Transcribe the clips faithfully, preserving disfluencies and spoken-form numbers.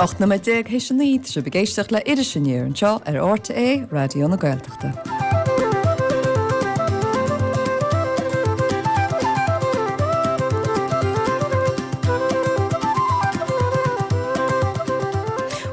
Ocht nóiméad déag théis a naoi, tá sibh ag éisteacht le Iris Aniar anseo ar RTÉ Raidió na Gaeltachta.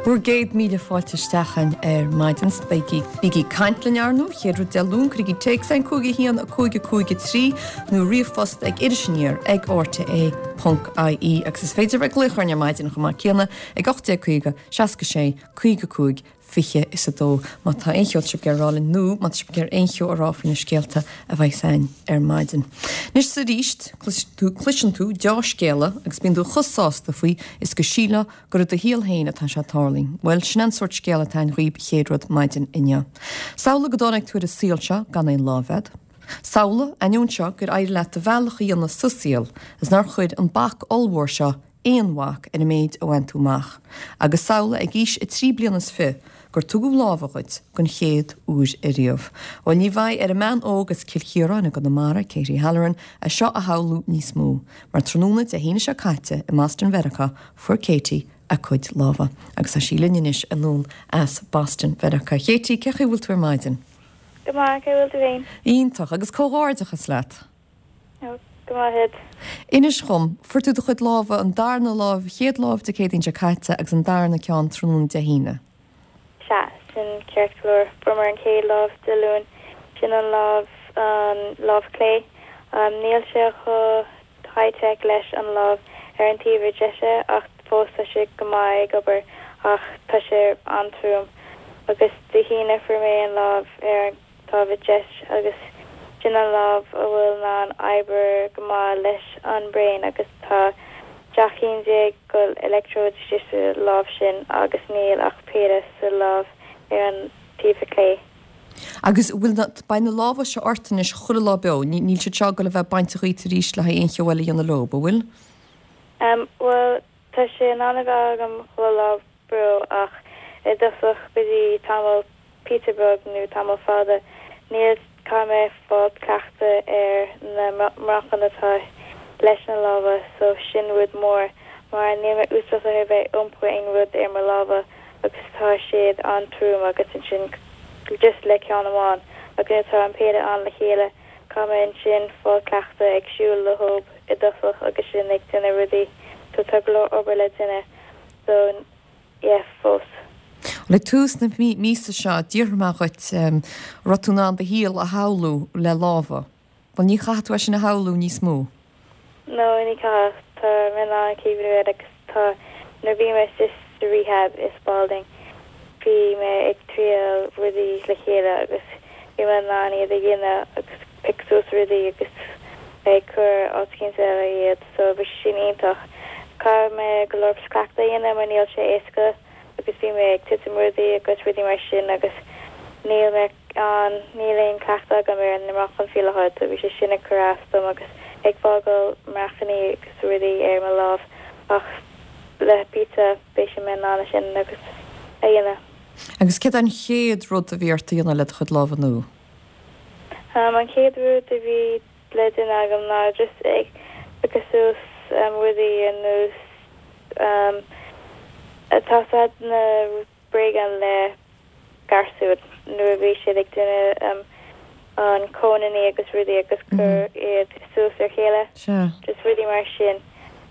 Bhur gcéad míle fáilte isteach againn ar maidin. Bígí bígí ag caint linn ar ndóigh, chéad rud Dé Luain, cuirigí téacs chugainn cúig a haon a cúig a cúig a trí nó ríomhphost ag irisaniar ag rte ponc ie agus is féidir bheith ag glaoch orainn ar maidin chomh maith céanna ag ocht déag caoga, seasca sé, caoga cúig, fiche is a dó má tá aon cheo sibh ag iarraidh a rá linn nó má tá sibh ag iarraidh aon cheo a rá faoi na scéalta a bheas againn ar maidin. Anois is arís, cloiseann tú deá-scéala agus bíonn tú chomh sásta faoi is go sílfeá gur i do shaol féin atá sé ag tarlú. Bhuel, sin é an sórt scéal atá againn dhaoib chéad rud maidin inniu. Samhlaigh go dtáinig tú ar an saol seo gan aon lámh agat. Samhlaigh, ainneoin seo, gur éirigh leat do bhealach a dhéanamh sa saol is nár chuir an bac ollmhór seo aon bhac ar an méid a bhain tú amach. Agus samhlaigh ag aois a trí bliana is fiche gur tugadh lámha dhuit den chéad uair ariamh. Bhuel, ní bheidh ar an mbean óg as Cill Chiaráin i gConamara, Katie Halloran, é seo a shamhlú níos mó, mar tráthnóna Dé hAoine seo caite i mBoston Mheiriceá fuair Katie a cuid lámha. Agus tá sí linn anois anonn as Boston Mheiriceá. Katie, cén chaoi a bhfuil tú ar maidin? Go maith, cén chaoi a bhfuil tú féin? Iontach, agus comhghairdeachas leat! Ó, go maith agat. Inis dhom, fuair tú do chuid lámha, an darna lámh, chéad lámh Dé Céadaoin seo caite agus an darna ceann tráthnóna Dé hAoine. Sea, sin ceart go leor. Fuair an chéad lámh Dé Luain, sin an lámh, an lámh clé. Níl sé chomh high-tech leis an lámh ar an taobh deise ach fós tá sé go maith ag obair ach tá sé an-trom. Agus Dé hAoine fuair mé an lámh ar an taobh deis agus sin an lámh a bhfuil in ann obair go maith leis an brain agus tá seacht cinn déag de electrodes istigh sa lámh sin agus níl ach péire sa lámh ar an taobh clé. Agus bhfuil na, beidh na lámha seo ort anois chuile lá beo, níl siad seo ag goil a bheith bainte dhíot arís le haghaidh aon cheo eile a dhéanamh leo, an bhfuil? Um, well, tá sé in ann a bheith agam chuile lá beo ach i dtosach go dtí tamall píosa beag nó tamall fada níl caithfidh mé fáil cleachtadh ar na meáchain atá leis na lámha so sin rud mór mar níl mé úsáideach ar bheith iompar aon rud ar mo lámha agus tá siad an-trom agus ansin just le ceann amháin agus tá an péire ann le chéile caithfidh mé ansin fáil cleachtadh ag siúl leo i dtosach agus sin ag déanamh rudaí so tá go leor obair le déanamh so yeah fós. Le tús na míosa seo d'fhiafraigh mé dhuit an raibh tú in ann do shaol a shamhlú le lámha. Bhuel ní chaithfidh tú é sin a shamhlú níos mó. No ní chaithfidh tá mé in ann cuimhniú air agus tá nuair a bhí mé istigh sa rehab i Spalding bhí mé ag triail rudaí le chéile agus bhí mé in ann iad a dhéanamh agus pick suas rudaí agus ag cur áit éicint eile iad so bhí sé sin iontach. Caithfidh mé go leor cleachtadh a dhéanamh mar níl sé éasca agus bhí mé ag titim rudaí agus rudaí mar sin agus níl mé an níl aon cleachtadh agam ar na meáchain faoi láthair so bhí sé sin ag cur as dom agus ag fágáil marcanna agus rudaí ar mo lámh ach le píosa beidh sé mé in ann sin agus a dhéanamh. Agus céard an chéad rud a bhí ort a dhéanamh le do chuid lámha nua? Um, an chéad rud a bhí le déanamh agam ná just ag agus suas um, rudaí ar nós um, tá na bréagáin le garsúin nuair a bhí siad ag déanamh um, an cónaí agus rudaí agus cur iad suas ar chéile just rudaí mar sin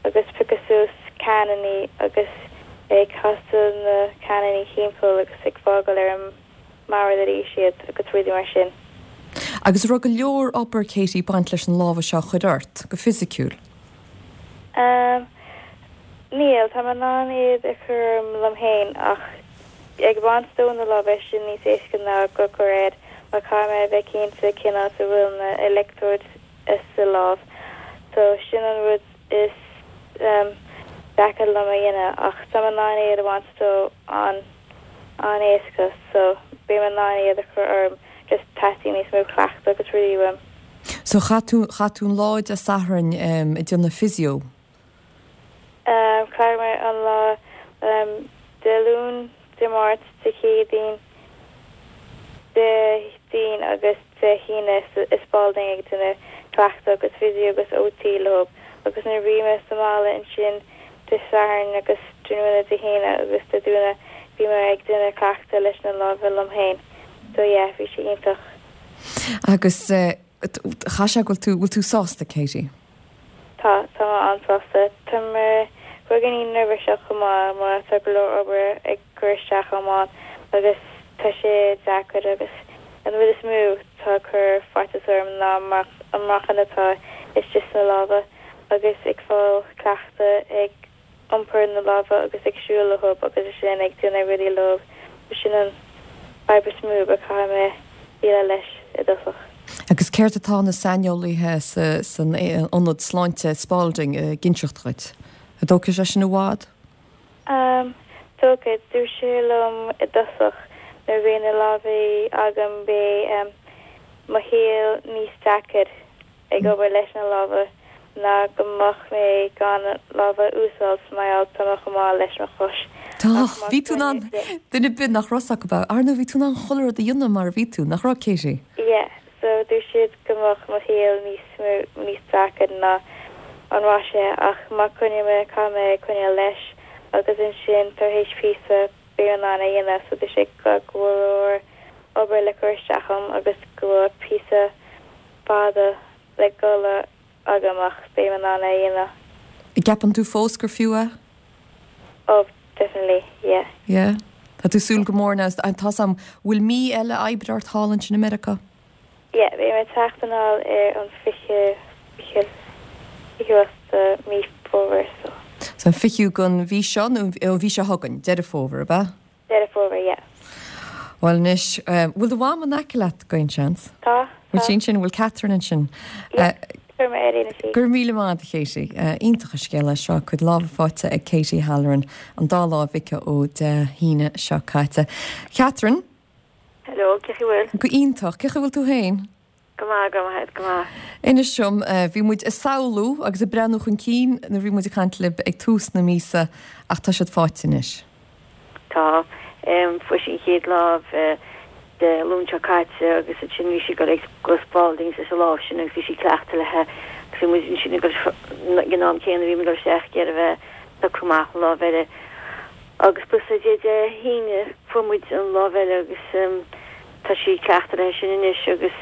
agus piocadh suas cannaí agus ag casadh na cannaí timpeall agus ag fágáil ar an mbord arís iad agus rudaí mar sin. Agus raibh go leor obair Katie baint leis an lámha seo a chur ort go fisiciúil. Um, Níl tá mé in ann iad a chur liom féin ach ag baint dó na lámha sin níos éasca ná go cur air mar caithfidh mé bheith cinnte cén áit a bhfuil na electrodes sa lámh so sin an rud is um, deacra liom a dhéanamh ach tá mé in ann iad a bhaint dó an an éasca so beidh mé in ann iad a chur orm just teastaíonn níos mó cleachtadh agus rudaí uaim. So chaith tú chaith tú an lá Dé Sathairn um, ag déanamh physio. Um, Chaith mé an lá um, Dé Luain Dé Máirt Dé Céadaoin Déardaoin agus Dé hAoine i Spalding ag déanamh cleachtadh agus physio agus OT leo agus nuair bhí mé sa mbaile ansin Dé Sathairn agus tráthnóna Dé hAoine agus Dé Domhnaigh bhí mé ag déanamh cleachtadh leis na lámha liom féin. So yeah, bhí sé iontach. Agus chaith sé bhfuil tú bhfuil tú sásta Katie? Tá tá an-sásta Tá mé beagáinín neirbhíseach chomh maith mar tá go leor obair ag cur isteach amán agus tá sé deacair agus an rud is mó tá cur faitíos orm ná an meáchan atá istigh sna lámha agus ag fáil cleachtadh ag iompar na lámha agus ag siúl leo agus sin ag déanamh rudaí leo sin an fadhb is mó a chaithfidh mé déileáil leis i dtosach. Agus céard atá na saineolaithe san ionad sláinte Spalding ag inseacht dhuit. An dtógfaidh sé sin i bhfad? Um, Tógfaidh dúirt sé liom i dtosach nuair bhí na lámha agam beidh um, mo shaol níos deacair ag obair leis na lámha ná go mbeadh mé gan lámha úsáid mar tá mé chomh maith leis mo chos. Tá bhí tú an duine bin nach ros go ba Arna bhí tú an chuile rud a dhéanamh mar bhí tú nach raibh Katie? Yeah, so dúirt siad go mbeadh mo shaol níos níos deacair ná an raibh sé ach má choinne mé caithfidh mé coinneáil leis agus ansin tar éis píosa beidh an a dhéanamh so dúirt sé go bhfuil obair le cur isteach agam agus go bhfuil píosa fada le dul agam ach beidh an a dhéanamh. Ceapann tú fós gur fiú é? Oh, definitely, yeah. Yeah. Tá tú súil go mór an tá am bhfuil mí eile oibre ort thall ansin i Meiriceá? Yeah, beidh mé teacht anall ar an fiche fiche mí Fómhair so. So an fichiú den mhí seo nó an mhí seo chugainn Deireadh Fómhair ab ea? Deireadh Fómhair, yeah. Well anois bhfuil do mham in aice leat go aon seans? Tá. Bhfuil sin sin bhfuil Catherine ansin. Gur míle maith a Katie iontach an scéal seo cuid lámha faighte ag Katie Halloran an dá lámh aici ó Dé hAoine seo caite. Catherine? Hello, cén chaoi bhfuil? Go iontach, cén chaoi bhfuil tú féin? Go maith go maith go maith. Inis dom bhí muid ag samhlú agus ag breathnú chun cinn nuair bhí muid ag caint libh ag tús na míosa ach tá siad faighte anois. Tá fuair sí an chéad lámh Dé Luain seo caite agus ansin bhí sí ag dul go Spalding leis an lámh sin agus bhí sí cleachtadh léi agus bhí muid ansin ag an am céanna bhí muid ag dul isteach ag iarraidh bheith socrú amach an lámh eile. Agus bus Dé Dé hAoine fuair muid an lámh eile agus tá sí cleachtadh léi sin anois agus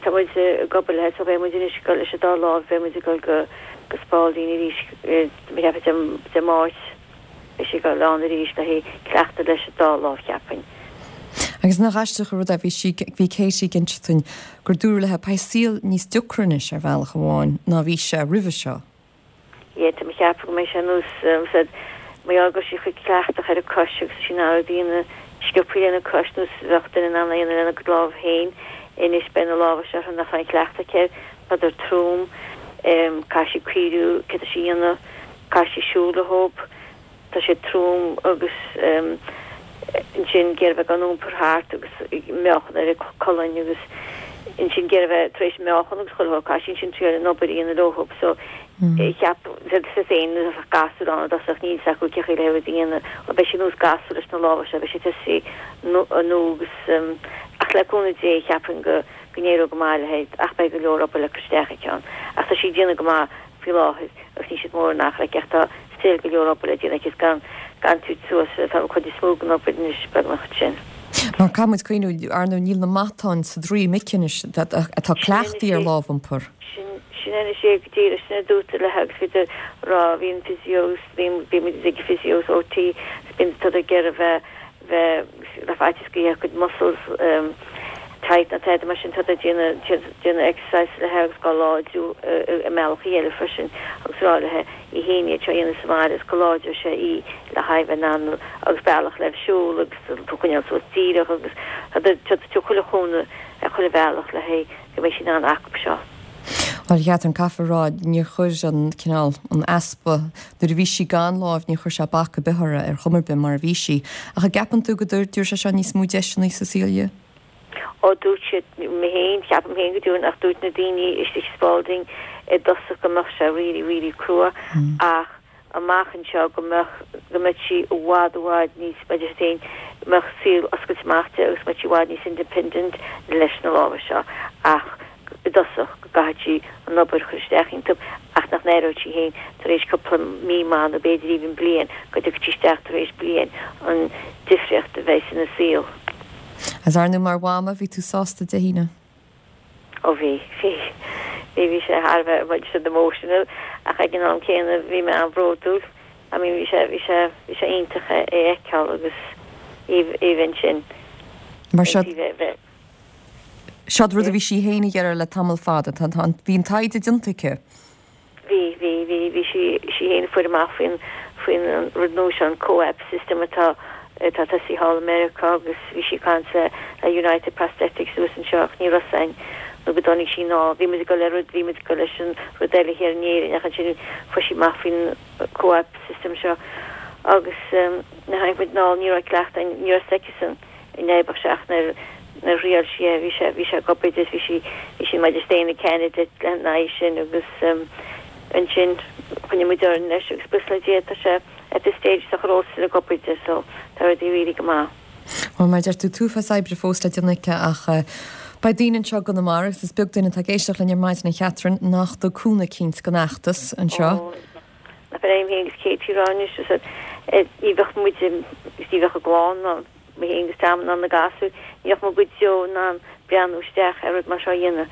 tá muid ag obair léi so beidh muid anois ag dul leis an dá lámh beidh muid ag dul go go Spalding arís cheapfainn Dé Máirt beidh sí ag dul ann arís le haghaidh cleachtadh leis an dá lámh cheapfainn. Agus nach aisteach an rud é bhí sí bhí Katie ag inseacht dúinn gur dúradh léi beidh saol níos deacra anois ar bhealach amháin ná bhí sé roimhe seo. Yeah, tá mé ag ceapadh go mbeidh sé nós said mar gheall go raibh sí chomh cleachtach ar a cois agus sí in ann rudaí a dhéanamh sciobtha lena cois nós bheadh duine in ann a dhéanamh lena lámh féin anois beidh na lámha seo nach raibh aon chleachtadh aici air tádar trom caithfidh sí cuimhniú céard atá sí a dhéanamh caithfidh sí siúl leo tá siad trom agus ansin ag iarraidh bheith gan iompar thart agus meáchan ar a colainn agus ansin ag iarraidh bheith tar éis meáchan agus chuile shórt caithfidh sí ansin triail an obair a dhéanamh leo so cheap siad féin nuair a bheadh gasúr ann i dtosach níl 'fhios acu cén chaoi le rud a dhéanamh bhuel beidh sí nós gasúr leis na lámha seo beidh sí tosaí nó agus ach le cúnamh Dé cheapfainn go go n-éireoidh go maith léi ach beidh go leor obair le cur isteach aici ann ach tá sí ag déanamh go maith faoi láthair agus níl siad mór in achar aici ach tá still go leor obair le déanamh aici is gan gan tabhairt suas tá an chuid is mó den obair anois beagnach ansin. Mar caithfidh muid cuimhniú, ar ndóigh níl na matáin sa droim aici anois atá cleachtaithe ar lámhiompar. Sin sin anois é go díreach sin a dúradh léi agus bhíodar ag rá bhí an physios bhí bhí muid ag physios OT agus bíonn tádar ag iarraidh bheith bheith le faitíos go mbeadh a cuid muscles tight nó tada mar sin tádar ag déanamh déanamh exercise léi agus á láidriú i mbealachaí eile freisin agus rá léi í fhéin iad seo a dhéanamh sa bhaile is go láidreoidh sé í le haghaidh bheith in ann agus bealach le siúl agus tú a choinneáil suas díreach agus tádar ag tabhairt chuile chúnamh ar chuile bhealach le haghaidh go mbeidh sí in ann acu seo. Bhuel, a Chatherine, caithfear a rá, níor chuir an cineál, an easpa, nuair a bhí sí gan láimh, níor chuir sé bac ar bith uirthi ar chuma ar bith mar a bhí sí. Ach an gceapann tú go dtabharfaidh sé seo níos mó deiseanna sa saol di? Ó, dúirt siad, mé féin, ceapaim féin go dtabharfaidh, ach dúirt na daoine istigh i Spalding i dtosach go mbeadh sé really, really crua ach amach anseo go mbeadh, go mbeadh sí i bhfad, i bhfad níos, mar a deir siad féin, go mbeadh saol oscailte amach di agus go mbeadh sí i bhfad níos independent leis na lámha seo ach i dtosach go gcaithfidh sí an obair a chur isteach iontu ach ach nach n-aireodh sí féin tar éis cúpla mí maith nó b'fhéidir even bliain, go dtiocfaidh sí isteach tar éis bliain, an difríocht a bheidh ina saol. Agus ar ndóigh mar mhama, bhí tú sásta Dé hAoine? Ó bhí, bhí. Bhí, bhí sé thar a bheith, bhuel, siad emotional ach ag an am céanna bhí mé an-bhródúil. I mean bhí sé, bhí sé, bhí sé iontach é a fheiceáil agus even sin. Mar seo, Seod rud a bhí sí féin ag iarraidh le tamall fada. Tá, tá, bhí an taighde déanta aici. Bhí, bhí, bhí, bhí sí, sí féin a fuair amach faoin, faoin rud nua seo, an COAPT system atá, atá tosaithe thall i Meiriceá agus bhí sí ag caint le, le United Prosthetics thuas anseo ach ní raibh a fhios againn nó go dtáinig sí anall. Bhí muid ag dul le rud, bhí muid ag dul leis an rud eile thiar in Éirinn ach ansin fuair sí amach faoin COAPT system seo agus nuair a tháinig muid anall ní raibh cleachtadh againn, ní raibh a fhios aici-san in éibeach sé ach nuair nuair a thriail sí é bhí sé bhí sé ag obair di bhí sí bhí sí mar is candidate lena aghaidh sin agus ansin choinnigh muid orainn leis agus buíochas le Dia tá sé at this stage tá chomh still ag obair di so tá rudaí really go maith. Bhuel mar a deir tú an t-uafás oibre fós le déanamh aici ach beidh daoine anseo i gConamara agus is beag duine atá ag éisteacht linn ar maidin a Chatherine nach dtug cúnamh eicínt don fheachtas anseo. Ó nach bhfuil aon féin agus Katie rá anois ní bheadh muid ní bheadh a gclann ná mé féin agus Tom ná na gasúir, ní bheadh muid go deo in ann breathnú isteach ar rud mar seo a dhéanamh.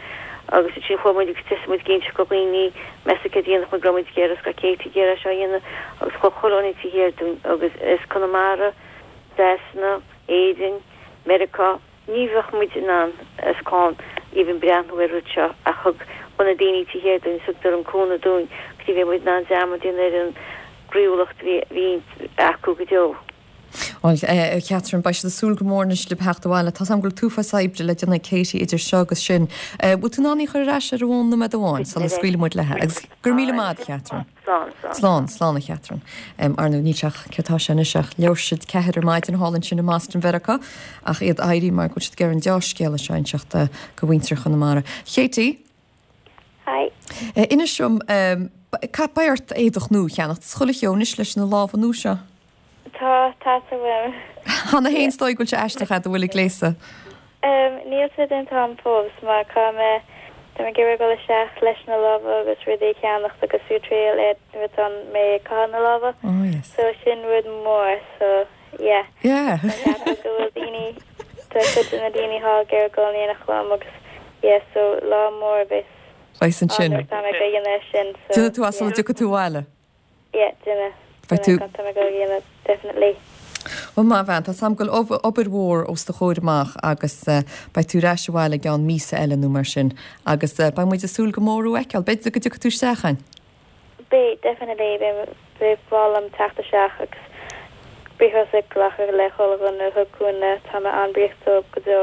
Agus ansin chuaigh muid agus thosaigh muid ag inseacht do dhaoine, meas tú céard a dhéanfadh muid go raibh muid ag iarraidh, go raibh Katie ag iarraidh seo a dhéanamh agus chuaigh chuile dhuine taobh thiar dúinn agus as Conamara, Sasana, Éirinn, Meiriceá, ní bheadh muid in ann as clann even breathnú ar rud seo ach thug thug na daoine taobh thiar dúinn, thugadar an cúnamh dúinn go dtí bhí muid in ann dearmad a dhéanamh ar an gcroíúlacht a bhí bhí acu go deo. Bhuel, a Chatherine, beidh siad ag súil go mór anois libh theacht abhaile. Tá 's agam go bhfuil an t-uafás oibre le déanamh ag Katie idir seo agus sin. Bhfuil tú in ann í a chur ar ais ar an bhfón nóiméad amháin sula scaoilfidh muid léi? Agus go raibh míle maith agat, a Chatherine. Slán, slán. Slán, slán, a Chatherine. Ar ndóigh, níl sé ach, céard tá sé anois ach leathuair tar éis ceathair ar maidin thall ansin i mBoston Mheiriceá ach iad éirithe mar go bhfuil siad ag iarraidh an deá-scéala seo a inseacht do mhuintir Chonamara. Katie! Hi. Inis dom, beidh ort éadach nua a cheannacht is chuile cheo anois leis na lámha nua seo. Tá, tá sa bhfuil. Cheana féin is dóigh go bhfuil sé aisteach fhad a bhfuil ag gléasadh. Um, níl sé déanta agam fós mar tá mé tá mé ag iarraidh dul isteach leis na lámha agus rudaí a cheannacht agus ag triail é nuair atá mé ag caitheamh na lámha. Oh yes. So sin rud mór so yeah. Yeah. Tá ceapadh go bhfuil daoine tá cuid de na daoine thall ag iarraidh dul in éineacht liom agus yeah so lá mór a bheas Beidh ann ansin. nuair atá mé ag dhéanamh sin so Déanfaidh tú as yeah. sula dtiocfaidh tú abhaile. Yeah, déanfaidh. Beidh tú. Tá mé ag dul a dhéanamh definitely. Bhuel maith bhean, tá 's agam go bhfuil obair mhór os do chomhair amach agus beidh tú ar ais abhaile i gceann míosa eile nó mar sin agus beidh muid ag súil go mór thú a fheiceáil. B'fhéidir go dtiocfaidh tú isteach chugainn. Beidh, definitely, beidh beidh breá liom teacht isteach agus buíochas a ghlacadh le chuile dhuine a thug cúnamh, tá mé an-bhuíoch dóibh go deo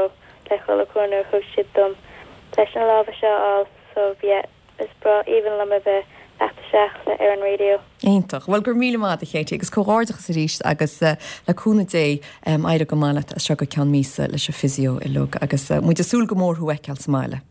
le chuile chúnamh a thug siad dom leis na lámha seo a fháil so yeah. Is breá aoibhinn liom a bheith teacht isteach le ar an raidió. Iontach. Bhuel, go raibh míle maith agat, a Katie, agus comhghairdeachas arís agus le cúnamh Dé éireoidh go maith leat as seo go ceann míosa leis an physio uilig agus muid ag súil go mór thú a fheiceáil sa mbaile.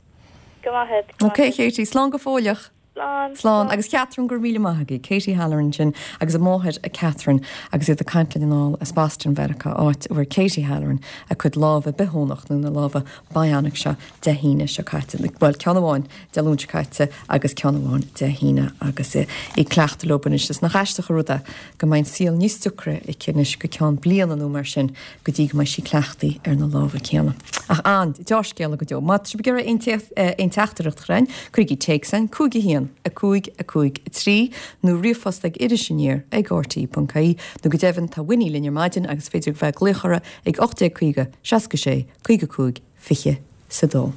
Go maith agat, go maith Ok, Katie, slán go fóilleach. Slán. Slán. Agus Catherine, go raibh míle maith agaibh. Katie Halloran sin agus a máthair Catherine agus iad ag caint linn anall as Boston Mheiriceá, áit a bhfuair Katie Halloran a cuid lámha bitheonach nó na lámha bionic seo Dé hAoine seo caite. Bhuel, ceann amháin Dé Luain seo caite agus ceann amháin Dé hAoine agus í ag cleachtadh leo anois. Is nach aisteach an rud é go mbeidh an saol níos deacra aici anois go ceann bliana nó mar sin go dtí go mbeidh sí cleachtaithe ar na lámha céanna. Ach an deá-scéala go deo. Má tá sibh ag iarraidh aon teachtaireacht a chur chugainn, cuirigí téacs chugainn, cúig a haon, a cúig, a cúig, a trí, nó ríomhphost ag Iris Aniar ag RTÉ.ie, nó go deimhin tá Winnie linn ar maidin agus féidir bheith ag glaoch uirthi ag ocht déag caoga, seasca sé, caoga cúig, fiche is a dó.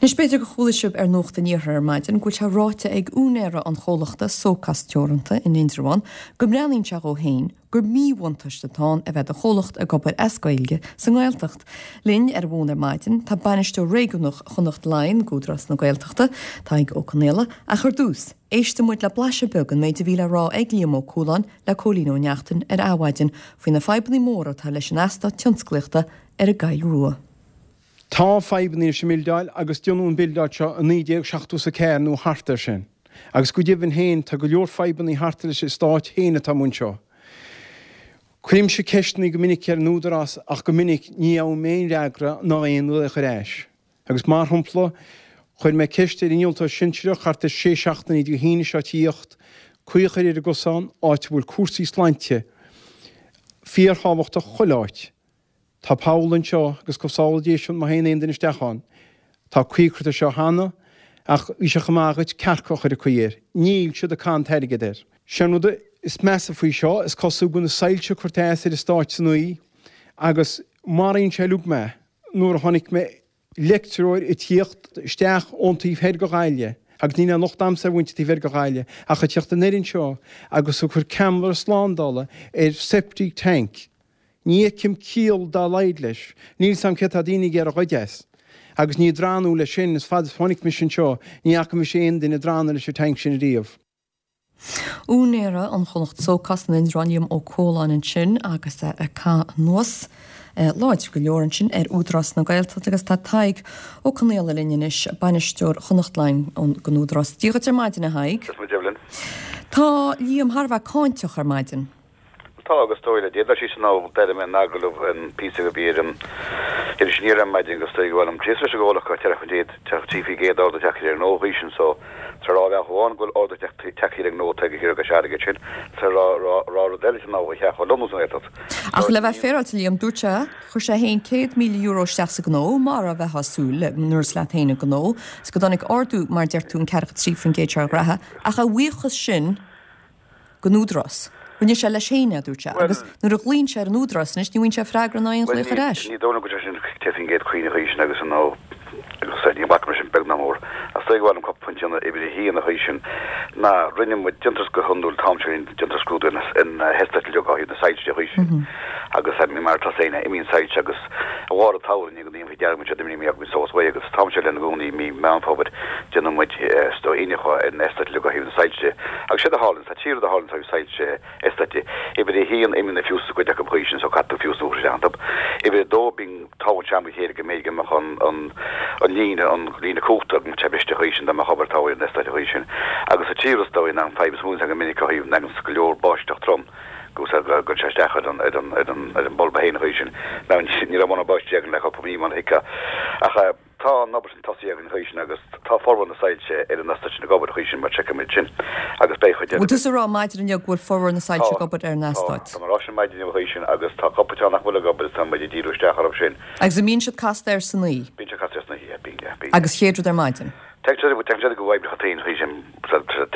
Anois b'fhéidir gur chuala sibh ar Nuacht an Iarthair ar maidin go bhfuil sé ráite ag úinéara an chomhlachta Socas Teoranta in Indreabhán go mbreathnaíonn sé dhó féin gur míbhuntáiste atá ann a bheith do chomhlacht ag obair as Gaeilge sa nGaeltacht. Linn ar an bhfón ar maidin tá bainisteoir réigiúnach Chonnacht Laighean d'Údarás na Gaeltachta, Tadhg Ó Conaola, ach ar dtús, éistfidh muid le blaiseadh beag an méid a bhí le rá ag Liam Ó Cualáin le Cóilín Ó Neachtain ar Adhmhaidin faoi na fadhbanna móra atá leis an eastát tionsclaíochta ar an gCoill Rua. Tá fadhbanna leis an mbildeáil agus déanadh an bildeáil seo i naoi déag seachtó is a ceathair nó thart air sin. Agus go deimhin féin tá go leor fadhbanna thart leis an eastát féin atá amuigh anseo. Cuirimse ceisteanna go minic ar an Údarás ach go minic ní fhaighim aon fhreagra ná aon ghlaoch ar ais. Agus mar shampla, Chuir mé ceist ar innealtóir sinsearach thart ar sé seachtainí Dé hAoine seo tíocht, caoi a chur ar an gcosán, áit a bhfuil cúrsaí sláinte fíorthábhachtach chuile áit. Tá poll anseo agus go sábhála Dia sinn má théann aon duine isteach ann. Tá caoi curtha air seo cheana ach bhí sé chomh maith agat cearca a chur ag caoi air. Níl siad ag caitheamh an t-airgead air. Sé an rud is measa faoi seo, is cosúil go bhfuil na soilse curtha as ar eastáit san oíche agus maraíonn sé uilig mé nuair a chonaic mé leictreoir ag tíocht isteach ón taobh thoir de Ghaillimh, agus níl aon locht a'msa ar mhuintir taobh thoir de Ghaillimh, ach ag tíocht anoir anseo agus ag cur ceamara slándála ar septic tank. Ní fheicim ciall dá laghad leis. Níl 's a'm céard tá daoine ag iarraidh a ghoid as. Agus ní ag drannadh leis sin, is fad is chonaic mise anseo, ní fhaca mise aon duine ag drannadh leis an tank sin ariamh. Úinéara an chomhlacht Socos san Indreabhán Liam Ó Cualáin ansin agus é ag caitheamh anuas láidir go leor ansin ar Údarás na Gaeltachta agus tá Tadhg Ó Conaola linn anois, bainisteoir Chonnacht Line gon Údarás. Dia dhuit ar maidin a Thaidhg. Dia duit Evelyn. Tá Liam thar a bheith cáinteach ar maidin. Tá agus dóigh le Dia. D'fhoilsigh sé nó d'éirigh mé in agallamh an píosa go bhí ar an Iris Aniar ar maidin agus dóigh go bhfuil an tíos leis an gcomhlacht go ceithre faoin gcéad, trí faoin gcéad ardú tagtha ar an ngnó choíche sin so tá rá bhealach amháin go bhfuil ardú tagtha ar an gnó atá ag thiar agus airgead sin tá rá rá rá rud eile sin ná a cheap chomh lomnú san Ghaeltacht. Ach le bheith féaráilte Liam, dúirt sé, chuir sé féin céad míle euro isteach sa ghnó, mar a bheifeá ag súil nuair is leat féin an gnó, is go dtáinig ardú mar deir tú an ceathracha trí faoin gcéad seo ar ghraithe, ach a bhuíochas sin don Údarás. Rinne sé leis féin é, a dúirt sé, agus nuair a ghlaonn sé ar an Údarás anois, ní bhfaigheann sé freagra ná aon ghlaoch ar ais. Ní dóigh liom go raibh sé sin ceithre faoin gcéad cuimhne choíche sin agus nó agus ní bhfaca mé sin beag ná mór. Ach is dóigh go bhfuil an cúpla pointe ann uimhir a haon a choíche sin ná rinne muid déantar go hiondúil an t-am seo déantar scrúdú ar na heastáit uilig ó thaobh na soilse de choíche sin agus mar atá féin imíonn soilse agus a bharr an tsamhraidh ní go ndéanfaí dearmad siad imní mí agus sós uaidh agus an t-am seo lena gcónaí mí Meán Fómhair déanann muid is dóigh iniúchadh ar na heastáit uilig ó thaobh na soilse de agus séard a tharlaíonn tá trí rud a tharlaíonn ó thaobh soilse eastáit. Uimhir a haon, imíonn na fiúsaí cuid acu choíche sin so caithfidh tú fiús nua a chur isteach iontu. Uimhir a dó, bíonn tábhacht sean go chéile go mb'fhéidir go mbeadh an an an líne an líne cumhachta go mbeadh sé briste choíche sin dá mbeadh obair tábhacht ar an eastát choíche sin. Agus sa tríú rud is dóigh ná an fadhb is mó go minic ó thaobh na go leor báisteach trom go gcuireann sé isteach ar an ar an ar an ar an bulb féin choíche sin. Now ní raibh mórán báistí againn le cúpla mí mar a thuigfeá. Ach Tá an obair sin tosaithe againn choíche sin agus tá formhór na soilse ar an eastát sin ag obair choíche sin mar seiceálaimid sin agus beidh chuid Bhfuil tusa ag rá maidin inniu go bhfuil formhór na soilse Tá, ag obair ar an tá, eastát? tá mé ag rá sin maidin inniu choíche sin agus tá cúpla ceann nach bhfuil ag obair is tá muid ag díriú isteach orthu sin. Agus an mbíonn siad casta air san oíche? Bíonn siad casta air san oíche, yeah, bíonn, yeah, bíonn. Agus chéad rud ar maidin? Tagann siad, tagann siad go oibreacha féin choíche sin,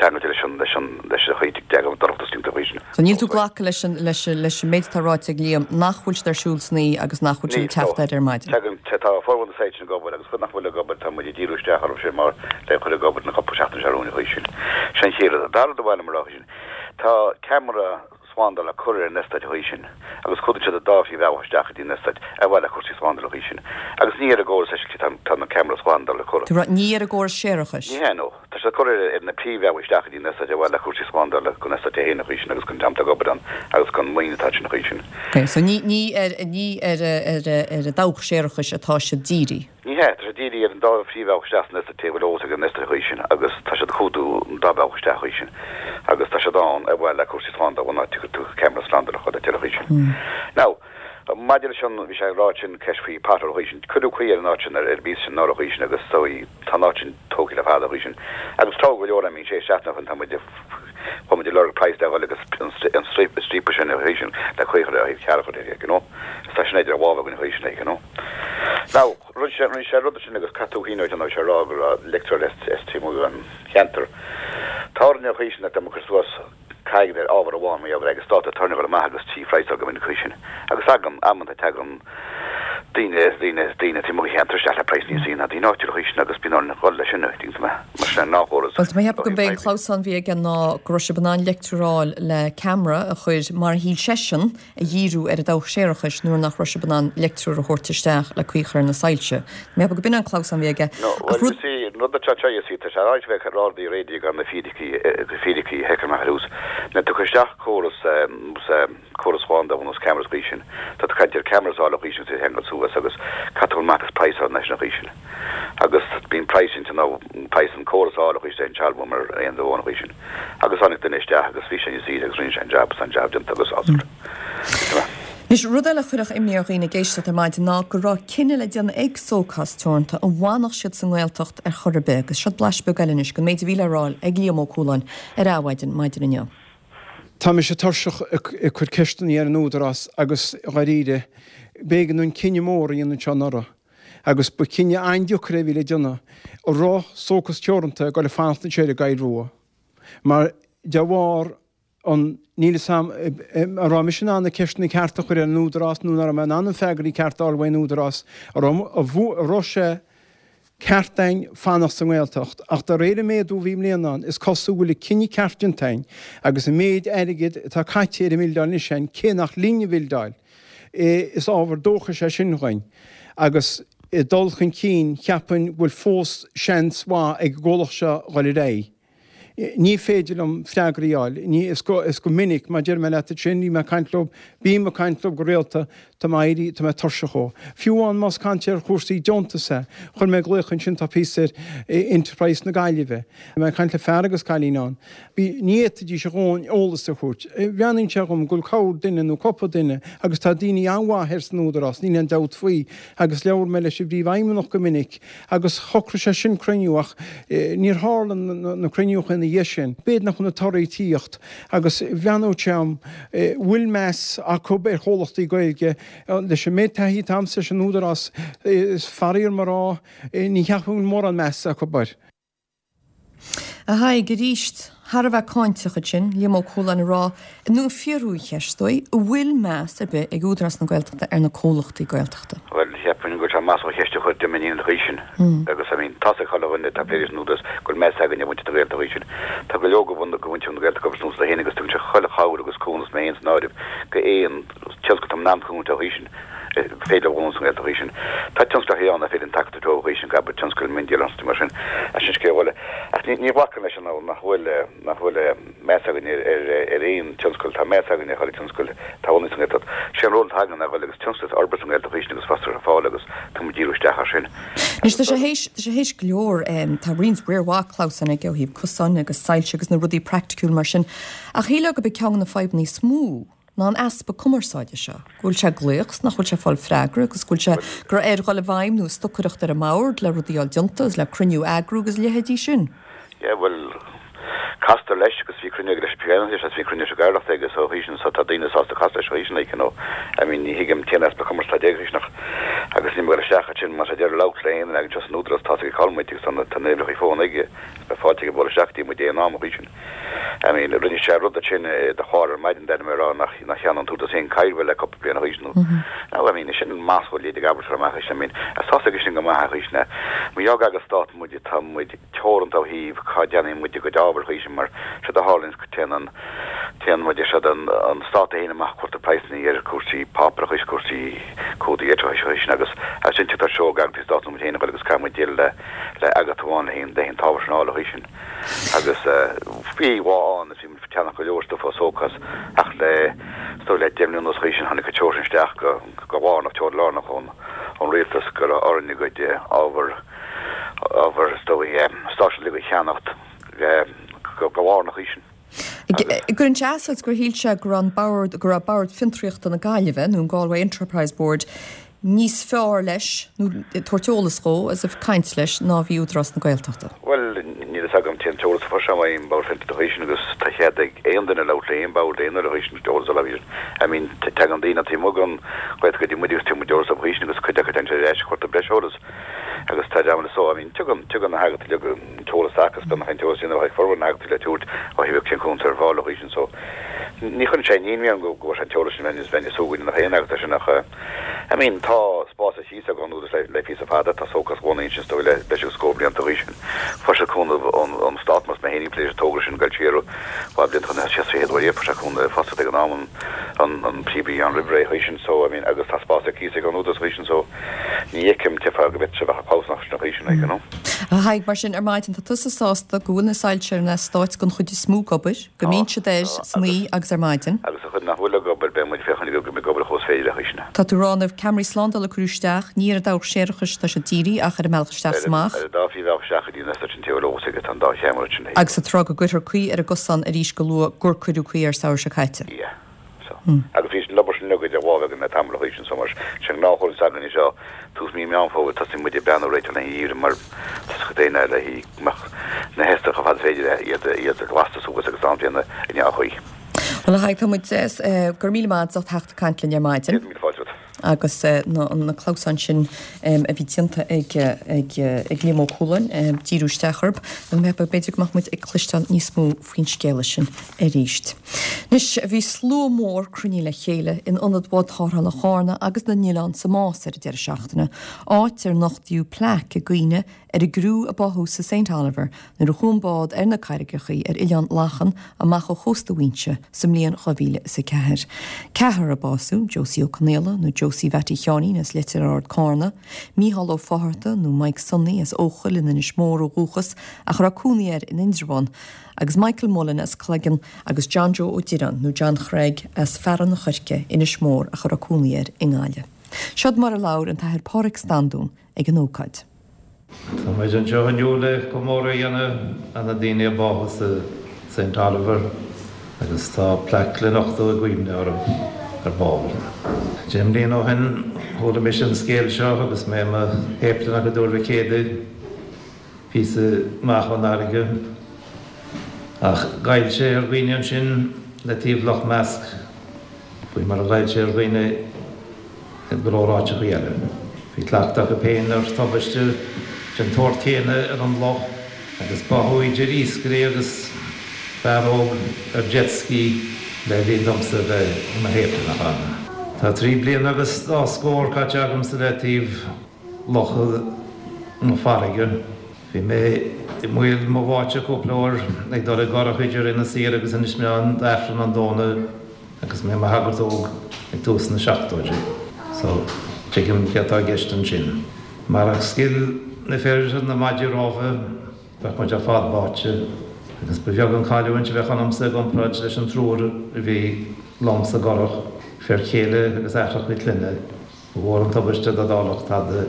ceangailte leis an, leis an, leis an chaoi deacair dorchadas timpeall choíche sin. So níl tú ag glacadh leis an, leis an, leis an méid atá ráite ag Liam nach bhfuil siad ar siúl san oíche agus nach bhfuil siad Níl, ag teacht no. air ar maidin? Tagann, tá formhór na soilse ag obair agus chuid nach bhfuil ag obair tá muid ag díriú isteach orthu sin mar le cur ag obair na cúpla seachtain seo romhainn choíche sin. Sin an chéad rud. An dara rud a bhain liom a rá choíche sin, tá ceamara slándála curtha ar an eastát choíche sin agus cumhdaíonn siad an dá phríomhbhealach isteach go dtí an eastát ar mhaithe le cúrsaí slándála choíche sin agus ní ar an gcóras eisce tá na ceamara slándála curtha. Tú ag rá ní ar an gcóras séarachais? Ní hea, no. Tá siad curtha ar na príomhbhealaí isteach go dtí an eastát ar mhaithe le cúrsaí slándála don eastát é féin choíche sin agus don dream atá ag obair ann agus don mhaoin atá ansin choíche sin. Ok, so ní ní ar ní ar ar ar an dabhach séarachais atá siad dírithe? Ní hea, tá sé dírithe ar an dá phríomhbhealach isteach san eastát a bhfuil eolas ag an eastát choíche sin agus tá siad ag cumhdú an dá bhealach isteach choíche sin agus tá siad ann ar mhaithe le cúrsaí slándála an áit a gcuir tú ceamara slándála chomh deireadh choíche sin. Now, maidir leis an, bhí sé ag rá sin ceist faoi pothole choíche sin, cuireadh caoi ar an áit sin ar ar bís sin anuraidh choíche sin agus so tá an áit sin tógtha le fada choíche sin agus tráth go leor am bíonn sé seachtain ó shin tá muid ag chuaigh muid ag lorg praghas le dhul agus an stríopa sin choíche sin le caoi a chur ar thaobh cearr a chur air, you know. Is tá sin idir lámha againn choíche sin, you know. Now, rinne sé, rinne sé rud sin agus caithfidh tú cuimhneamh air, sé ag rá go raibh leictreoir as taobh amuigh den cheantar. Tá orainn choíche sin dá mba cur suas caighean ar ábhar amháin mar gheall ar agus tá turn amach agus trí phraghas go minic choíche sin. Agus tagann, amanta tagann daoine, daoine, daoine taobh amuigh den cheantar isteach le praghas níos ísle ná daoine áitiúla choíche sin agus bíonn orainn dhul leis sin, tuigeann tú mé, mar sin an gnáthchóras. Bhuel, tá mé ag ceapadh gurb é an clamhsán a bhí aige ná go raibh sibh in ann leictreoir a fháil le ceamara a chur, mar a shíl seisean, a dhíriú ar an dabhach séarachais nuair nach raibh sibh in ann leictreoir a thabhairt isteach le caoi a chur ar na soilse. Tá mé ag ceapadh go b'in an clamhsán a bhí aige. No, Ach bhuel, rud. you see, an rud atá anseo, you see, tá sé ráite bheith ag rá rudaí réidh gan na fíricí, na fíricí a sheiceáil amach ar dtús. Nuair atá tú ag cur isteach córas, córas slándála nós cameras choíche sin, tá tú ag caint ar cameras a fháil choíche sin agus iad a cheangal suas agus caithfidh tú amach agus praghas a fháil leis an choíche sin. Agus bíonn praghas inti nó praghas an córas a fháil choíche sin sealbhú mar aon do amháin choíche sin. Agus tháinig duine isteach agus bhí sé níos saoire agus rinne sé an jab agus an jab déanta agus sásta. Anois, rud eile a chuirfeadh imní ar dhaoine ag éisteacht ar maidin ná go raibh cinneadh le déanamh ag Sócás Teoranta an bhfanfadh siad sa nGaeltacht ar chor ar bith agus seo blaiseadh beag eile anois den méid a bhí le rá ag Liam Ó Cualáin ar Adhmhaidin maidin inniu. Tá mise tuirseach ag cur ceisteanna ar an Údarás agus dháiríre, b'éigean dúinn cinneadh mór a dhéanamh anseo anuraidh agus ba chinneadh an-deacair é a bhí le déanamh, an raibh Sócás Teoranta ag dul a fanacht anseo ar an gCoill Rua mar de bharr an, níl 'fhios a'm, an raibh mise in ann na ceisteanna cearta a chur ar an Údarás nó nach raibh mé in ann an freagraí cearta a fháil uaidh an Údarás, an raibh, an raibh sé ceart dúinn fanacht sa nGaeltacht. Ach de réir an méadú a bhí i mbliana ann, is cosúil go bhfuil an cinneadh ceart déanta againn agus an méid airgid atá caite ar an mbildeáil anois againn, cé nach linn an bhildeáil, is ábhar dóchais é sin dhuinn. Agus i dul chun cinn, cheapfainn go bhfuil fós seans mhaith ag an gcomhlacht seo dhul ar aghaidh. Ní féidir liom freagraí a fháil. Ní, is go, is go minic, mar deir mé leat ansin, bhí mé ag caint leo, bím ag caint leo go rialta, tá mé ag éirí, tá mé tuirseach dhó. Fiú amháin más caint ar chúrsaí deontas é, chuir mé glaoch ansin, tá píosa ar Enterprise na Gaillimhe. Bhí mé ag caint le fear agus cailín ann. Bhí, ní fhéadfaidís a dhóthain eolas a thabhairt. Bhreathnaíonn sé dhom go bhfuil corr duine nó cúpla duine agus tá daoine an-mhaith thoir san Údarás, níl aon dabht faoi, agus labhair mé leis an bPríomhfheidhmeannach go minic, Agus shocraigh sé sin cruinniú ach níor tharla na cruinniúcha ina dhiaidh sin. B'fhéidir nach bhfuil na torthaí ag tíocht agus bhreathnódh sé dhom bhfuil meas acu ar chomhlachtaí Gaeilge. Leis an méid taithí atá a'msa leis an Údarás, is faraor dom a rá, ní cheapaim go bhfuil mórán meas acu air. A Thaidhg, arís, thar a bheith cáinteach ansin, Liam Ó Cualáin ag rá, nó ag fiafraí an cheist, is dóigh, an bhfuil meas ar bith ag Údarás na Gaeltachta ar na comhlachtaí Gaeltachta? Bhuel, cheapfainn go bhfuil sé maslach an cheist a chur de m'iníon an chaoi sin. Agus, I mean, tá's ag chuile dhuine atá ag plé leis an Údarás go bhfuil meas againn ar mhuintir na Gaeltachta an chaoi sin. Tá go leor de mhuintir na Gaeltachta ag obair san Údarás féin agus tugann sé chuile chabhair agus cúnamh, mé féin san áireamh, go aon tionscal atá in ann cúnamh a thabhairt an chaoi sin. féidir leo a bhunú sa nGaeltacht an chaoi sin. Tá tionsclacha ann nach féidir an tacaíocht a thabhairt dóibh an chaoi sin, abair tionscail miondíola agus mar sin, ach sin scéal eile. Ach ní ní ghlacaim leis an nach bhfuil nach bhfuil meas againn ar ar ar aon tionscal, tá meas againn ar chuile tionscal atá bunaithe sa nGaeltacht. Sé an ról atá againn ná dhul agus tionscail a fhorbairt sa nGaeltacht an chaoi sin agus fostaíocht a chur ar fáil agus tá muid ag díriú isteach air sin. Anois tá sé théis tá sé théis go leor tá roinnt riar mhaith clamhsáin aige ó thaobh cosáin agus soilse agus na rudaí praiticiúil mar sin ach shílfeá gurb é ceann de na fadhbanna is mó ná an easpa cumarsáide seo, go bhfuil sé ag glaoch 's nach bhfuil sé ag fáil freagra agus go bhfuil sé go raibh air dhul i bhfeidhm nó stocaireacht ar an mbord le rudaí a fháil déanta agus le cruinniú a eagrú agus a leithéidí sin. Yeah, bhuel, castar leis agus bhí cruinniú aige leis an Phríomh-Fheidhmeannach leis agus bhí cruinniú leis an gCathaoirleach aige so chaoi sin so tá daoine sásta casadh leis chaoi sin like, you know. I mean, ní thuigim cén easpa cumarsáide aige chaoi sin ach agus níl mé ag dul isteach ansin má tá deireadh labhairt le aon duine againn anseo san Údarás tá's aige cá bhfuil muid agus tá na tá na uimhreacha fóin aige agus beidh fáilte aige bualadh isteach go dtí muid aon am chaoi sin. I mean, rinne sé rud ansin i do chlár ar maidin, d'ainm ag rá nach nach cheannaigh an tÚdarás aon cairbhe le cúpla bliain a chaoi sin nó now I mean, sin masla leid ag abairt amach é sin, I mean, tá 's aige sin go maith a chaoi sin. Mar gheall gur eagas stát muid, tá muid teoranta ó thaobh cá gceannaíonn muid a gcuid ábhair a chaoi sin mar séard a tharlaíonn téann an téann muid séard an an stát é féin amach cuirtear praghsanna ar cúrsaí páipéarachais, cúrsaí cumhdaigh leictreachais a chaoi sin agus as sin tugtar seó ag eagraíochtaí stáit nó muid féin a dhul agus caithfidh muid déileáil le le eagraíocht amháin le haon le haon t-ábhar sin a fháil a chaoi sin. Agus bhí lá ann is bhí muid ag ceannach go leor stuif ó Sócás ach le is dóigh le deich mbliana anuas chaoi sin tháinig an treoir sin isteach go go lárnach, treoir lárnach ón ón rialtas go raibh orainn a gcuid ábhar ábhar is dóigh stáit uilig a cheannacht go go lárnach chaoi sin. Agus. Cuireann sé as duit gur shíl sé go raibh an bord, go raibh Bord Fiontraíochta na Gaillimhe, nó an Galway Enterprise Board, níos fearr leis, nó ag tabhairt eolas dhó, as if caint leis, ná a bhí Údarás na Gaeltachta. Bhuel, níl fhios agam cén t-eolas a fuair sé ón mBord Fiontraíochta a chaoi sin agus tá cead ag aon duine labhairt le aon bhord aon uair a chaoi sin eolas a fháil. I mean, tagann daoine taobh amuigh den Ghaeltacht go dtí muid agus tugann muid eolas dóibh a chaoi sin agus cuid acu téann siad ar ais cuartú breis eolas agus tá dreamanna so, I mean, tugann, tugann na heagraíochtaí uilig an t-eolas agus beagnach an t-eolas céanna a bheadh ag formhór na n-eagraíochtaí le tabhairt ó thaobh cén cúnamh atá ar fáil a chaoi sin so ní chuireann sé aon ionadh orm go bhfuair sé an t-eolas sin bheinn, bheinn ag súil go ndéanfadh aon eagraíocht é sin ach I mean, tá spás ar cíos ag an Údarás le, le píosa fada, tá Sócás bunaithe ansin is dóigh le breis agus scór blianta a chaoi sin. Fuair siad cúnamh ón, ón Stát mar is mé féin a bhí ag plé leis an togra sin ag dul siar dhá bhliain chun sé sa chéad uair riamh fuair sé cúnamh fostaíocht ag an am an, an, an príomh a bhí ann roimh ré a chaoi sin so, I mean, agus tá spás ar cíos ag an Údarás a chaoi sin so ní fheicim cén fáth go bhféadfadh sé bheith ag clamhsán sin a chaoi sin, like, you know. A Thaidhg, mar sin, ar maidin, tá tusa sásta go bhfuil na soilse ar an eastát den chuid is mó ag obair, go mbíonn siad air san oíche agus ar maidin. Agus an chuid nach bhfuil ag obair, beidh muid ag féachaint go mbeidh ag obair chomh is féidir a chaoi sin. Tá tú ag rá na ceamaraí slándála a cuireadh isteach, ní ar an dabhach séarachais atá siad dírithe ach ar an mbealach isteach is amach. Ar an dá phríomhbhealach isteach go dtí an eastát sin taobh eolas aige, tá an dá cheamara sin. Agus tá tú ag rá go gcuirfear caoi ar an gcosán arís go luath gur cuireadh caoi air samhradh seo caite. Yeah. So. Agus bhí an obair sin uilig idir lámha ag an againn le tamall a chois sin so mar sé an gnáthchúram s'againne seo tús mí Meán Fómhair tosaíonn muid ag breathnú réiteach le haghaidh an gheimhridh mar tá a fhios ag daoine le haghaidh go mbeadh na heascra chomh fada is féidir iad iad glasta suas agus am déanamh i ndea-chaoi. Bhuel a Thaidhg tá muid go raibh míle maith agat as ucht theacht ag caint linn ar maidin. Céad míle fáilte romhat. Agus na clamhsáin sin a bhí déanta ag ag Liam Ó Cualáin, díriú isteach orthu, b'fhéidir go mbeadh muid ag cloisteáil níos mó faoin scéala sin arís. Anois, bhí slua mór cruinnithe le chéile in ionad Bhád Tarrthála Chárna agus na nOileán sa Nás ar an deireadh seachtaine, áit ar nochtaíodh plaic i gcuimhne ar an gcriú a báthadh sa Saint Oliver nuair a chuaigh an bád ar na carraigeacha ar Oileán Lachan amach ó chósta Mhaínse sa mbliain dhá mhíle is a ceathair. Ceathrar a básaíodh, Josie Ó Conaola nó Josie Mhattie Sheáinín as Leitir Ard Cárna, Mícheál Ó Fátharta nó Mike Sonny as Eochaill in Inis Mór ó dhúchas ach a raibh cónaí air in Indreabhán, agus Michael Mullen as Cloigeann agus John Joe Ó Direáin nó John Chreig as Fearann an Choirce, Inis Mór ach a raibh cónaí air i nGaillimh. Seod mar a labhair an tAthair Páraic Standún ag an ócáid. Tá muid anseo inniu le comóradh a dhéanamh ar na daoine a báthadh sa Saint Oliver agus tá plaic le nochtadh i gcuimhne orthu ar ball. Deich mbliana ó shin chuala mise an scéal seo agus mé i mo shéiplineach i dTuar Mhic Éadaigh, píosa amach ón fharraige. Ach ghoill sé ar dhaoine ansin le taobh Loch Measc faoi mar a ghoill sé ar dhaoine i go leor áiteachaí eile. Bhí cleachtadh acu féin ar tubaiste den tsórt céanna ar an loch agus báthadh idir iascairí agus fear óg ar jet ski le linn domsa bheith i mo shéiplineach ann. Tá trí bliana agus dhá scór caite agamsa le taobh locha nó farraige. Bhí mé i mbaol mo bháite cúpla uair ag dul i gcurach idir Inis Oírr agus Inis Meáin d'Aifreann an Domhnaigh agus mé i mo shagart óg ag tús na seachtóidí. So, tuigim céard atá i gceist ansin. Marach scil na fir na maidí rámha, bheadh muid ar fad báite, agus ba bheag an chailliúint a bheadh ionamsa i gcomparáid leis an triúr a bhí liom sa gcurach, fir chéile agus aithreacha clainne. Ba mhór an tubaiste dá dtarlódh tada,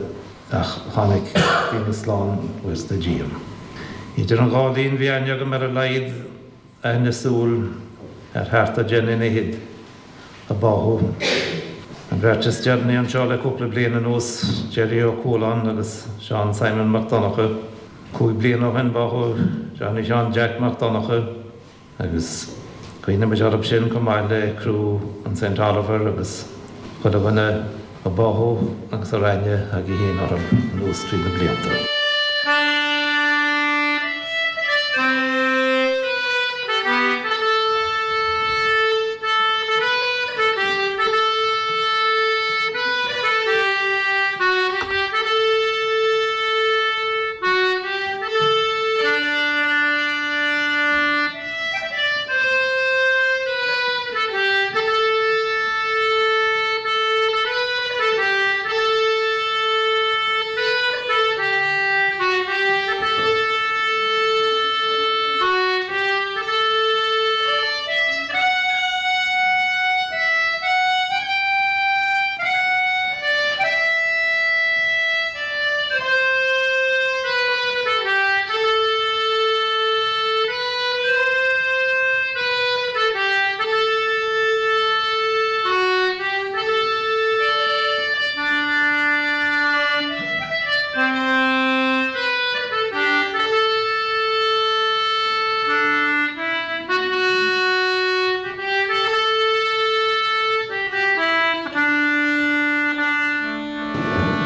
ach tháinig daoine slán, buíochas do Dhia. Idir an dhá linn bhí aithne agam ar a laghad aithne súl ar thart ar deich nduine fhichead a báthadh. An bheirt is deireanaí anseo le cúpla bliain anuas, Jerry Ó Cualáin agus Seán Simon Mac Donncha. Cúig bliana ó shin báthadh Johnny Sheáin Jack Mac Donncha agus cuimhníonn muid orthu sin chomh maith le criú an Saint Oliver agus chuile dhuine a báthadh agus a raibh aithne agaibh féin orthu anuas trí na blianta.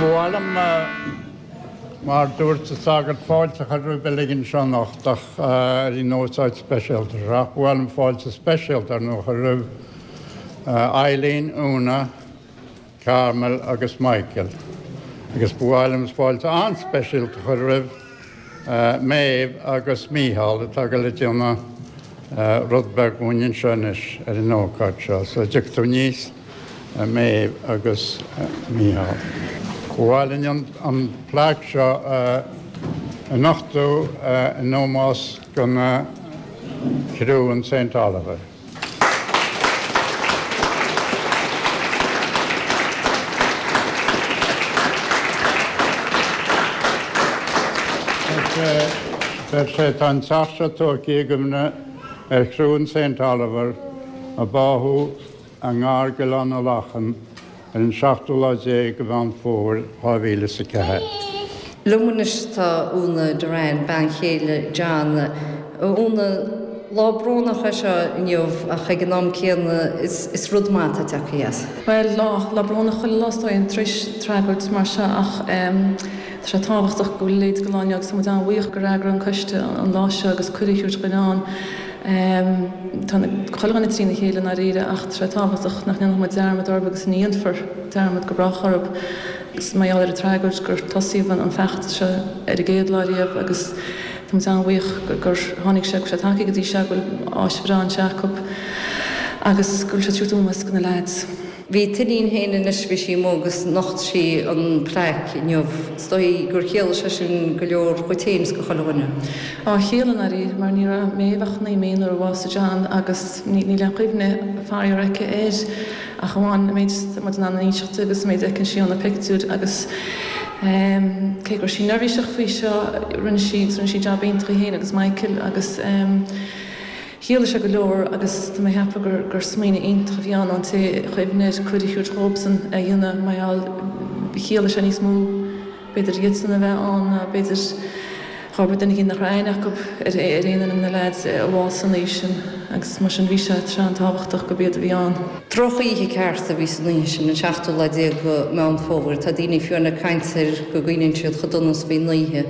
Ba mhaith liom, mar dúirt an sagart, fáilte a chur roimh uilig anseo anocht ach ar an ócáid speisialta seo. Ach ba mhaith liom fáilte speisialta ar ndóigh a chur roimh Eileen, Úna, Carmel agus Michael. Agus ba mhaith liom fáilte an-speisialta a chur roimh Maeve agus Mícheál atá ag dul a déanamh rud beag dhúinn anseo anois ar an ócáid seo. So dtiocfaidh tú aníos, a Maeve agus Mícheál. Ba mhaith linn an plaic seo a nochtadh in ómós do na criú an Saint Oliver. Deir sé, Tá an teach seo tógtha i gcuimhne ar chriú an Saint Oliver a báthadh i ngar d'Oileán na Lachan ar an seachtú lá déag de Mheán Fómhair dhá mhíle is a ceathair. Liom anois tá Úna Doran, bean chéile John. Úna, lá brónach é seo inniu ach ag an am céanna is rud maith atá tagtha as. Bhuel, lá, lá brónach chuile lá is dóigh tar éis tragóid mar seo ach tá sé tábhachtach go bhfuil a leithéid de lá inniu agus tá muid an-bhuíoch gur eagraíodh an coiste an lá seo agus cuireadh a thabhairt dhuinn ann. Tá chuile dhuine trína chéile i ndáiríre ach tá sé tábhachtach nach ndéanfaidh muid dearmad orthu agus ní dhéanfar dearmad go brách orthu. Agus mar gheall ar an tragóid gur tosaíodh an feachtas seo ar an gcéad lá riamh agus tá muid an-bhuíoch gur tháinig sé, go bhfuil sé tagtha go dtí seo, go bhfuil áis bhreá anseo acu agus go bhfuil sé ag tabhairt ómós do na leaids. Bhí t'iníon féin anois, bhí sí amuigh agus nocht sí an plaic inniu. Is dóigh gur chiallaigh sé sin go leor dhuit féin is go chuile dhuine. Á, chiallaigh i ndáiríre, mar ní raibh Méabh ach naoi mí nuair a bhásaigh John agus níl aon chuimhne faraor aici air ach amháin an méid atá muid in ann a inseacht di agus an méid a fheiceann sí ó na pictiúir agus cé go raibh sí neirbhíseach faoi seo rinne sí agus rinne sí jab iontach í féin agus Michael agus Chiallaigh sé go leor agus tá mé ag ceapadh gur gur smaoineamh iontach a bhí ann ón té a chuimhnigh air cuireadh a thabhairt dhóibhsean a dhéanamh mar gheall chiallaigh sé níos mó b'fhéidir iadsan a bheith ann ná b'fhéidir dhá duine éigin nach raibh aithne acu ar ar aon duine de na leaids a bhásaigh an oíche sin agus mar sin bhí sé tráth an-tábhachtach gurb iad a bhí ann. Drochoíche ceart a bhí san oíche sin, an seachtú lá déag de Mheán Fómhair. Tá daoine fiú ag caint air go gcuimhníonn siad chomh dona is a bhí an oíche.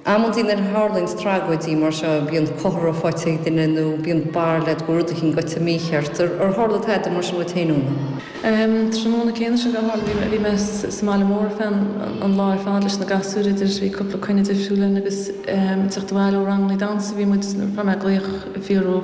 Amantaí nuair a tharlaíonns tragóidí mar seo bíonn comhartha faighte ag duine nó bíonn barúil agat go bhfuil rud eicínt goite mícheart. Ar tharla tada mar sin dhuit féin, Úna? Tráthnóna céanna sin gur tharla, bhí mé sa mbaile mór ar feadh an lá ar fad leis na gasúir idir, bhí cúpla coinne difriúil linn agus ag teacht abhaile ó ranganna damhsa a bhí muid nuair a fuair mé glaoch ag fiafraí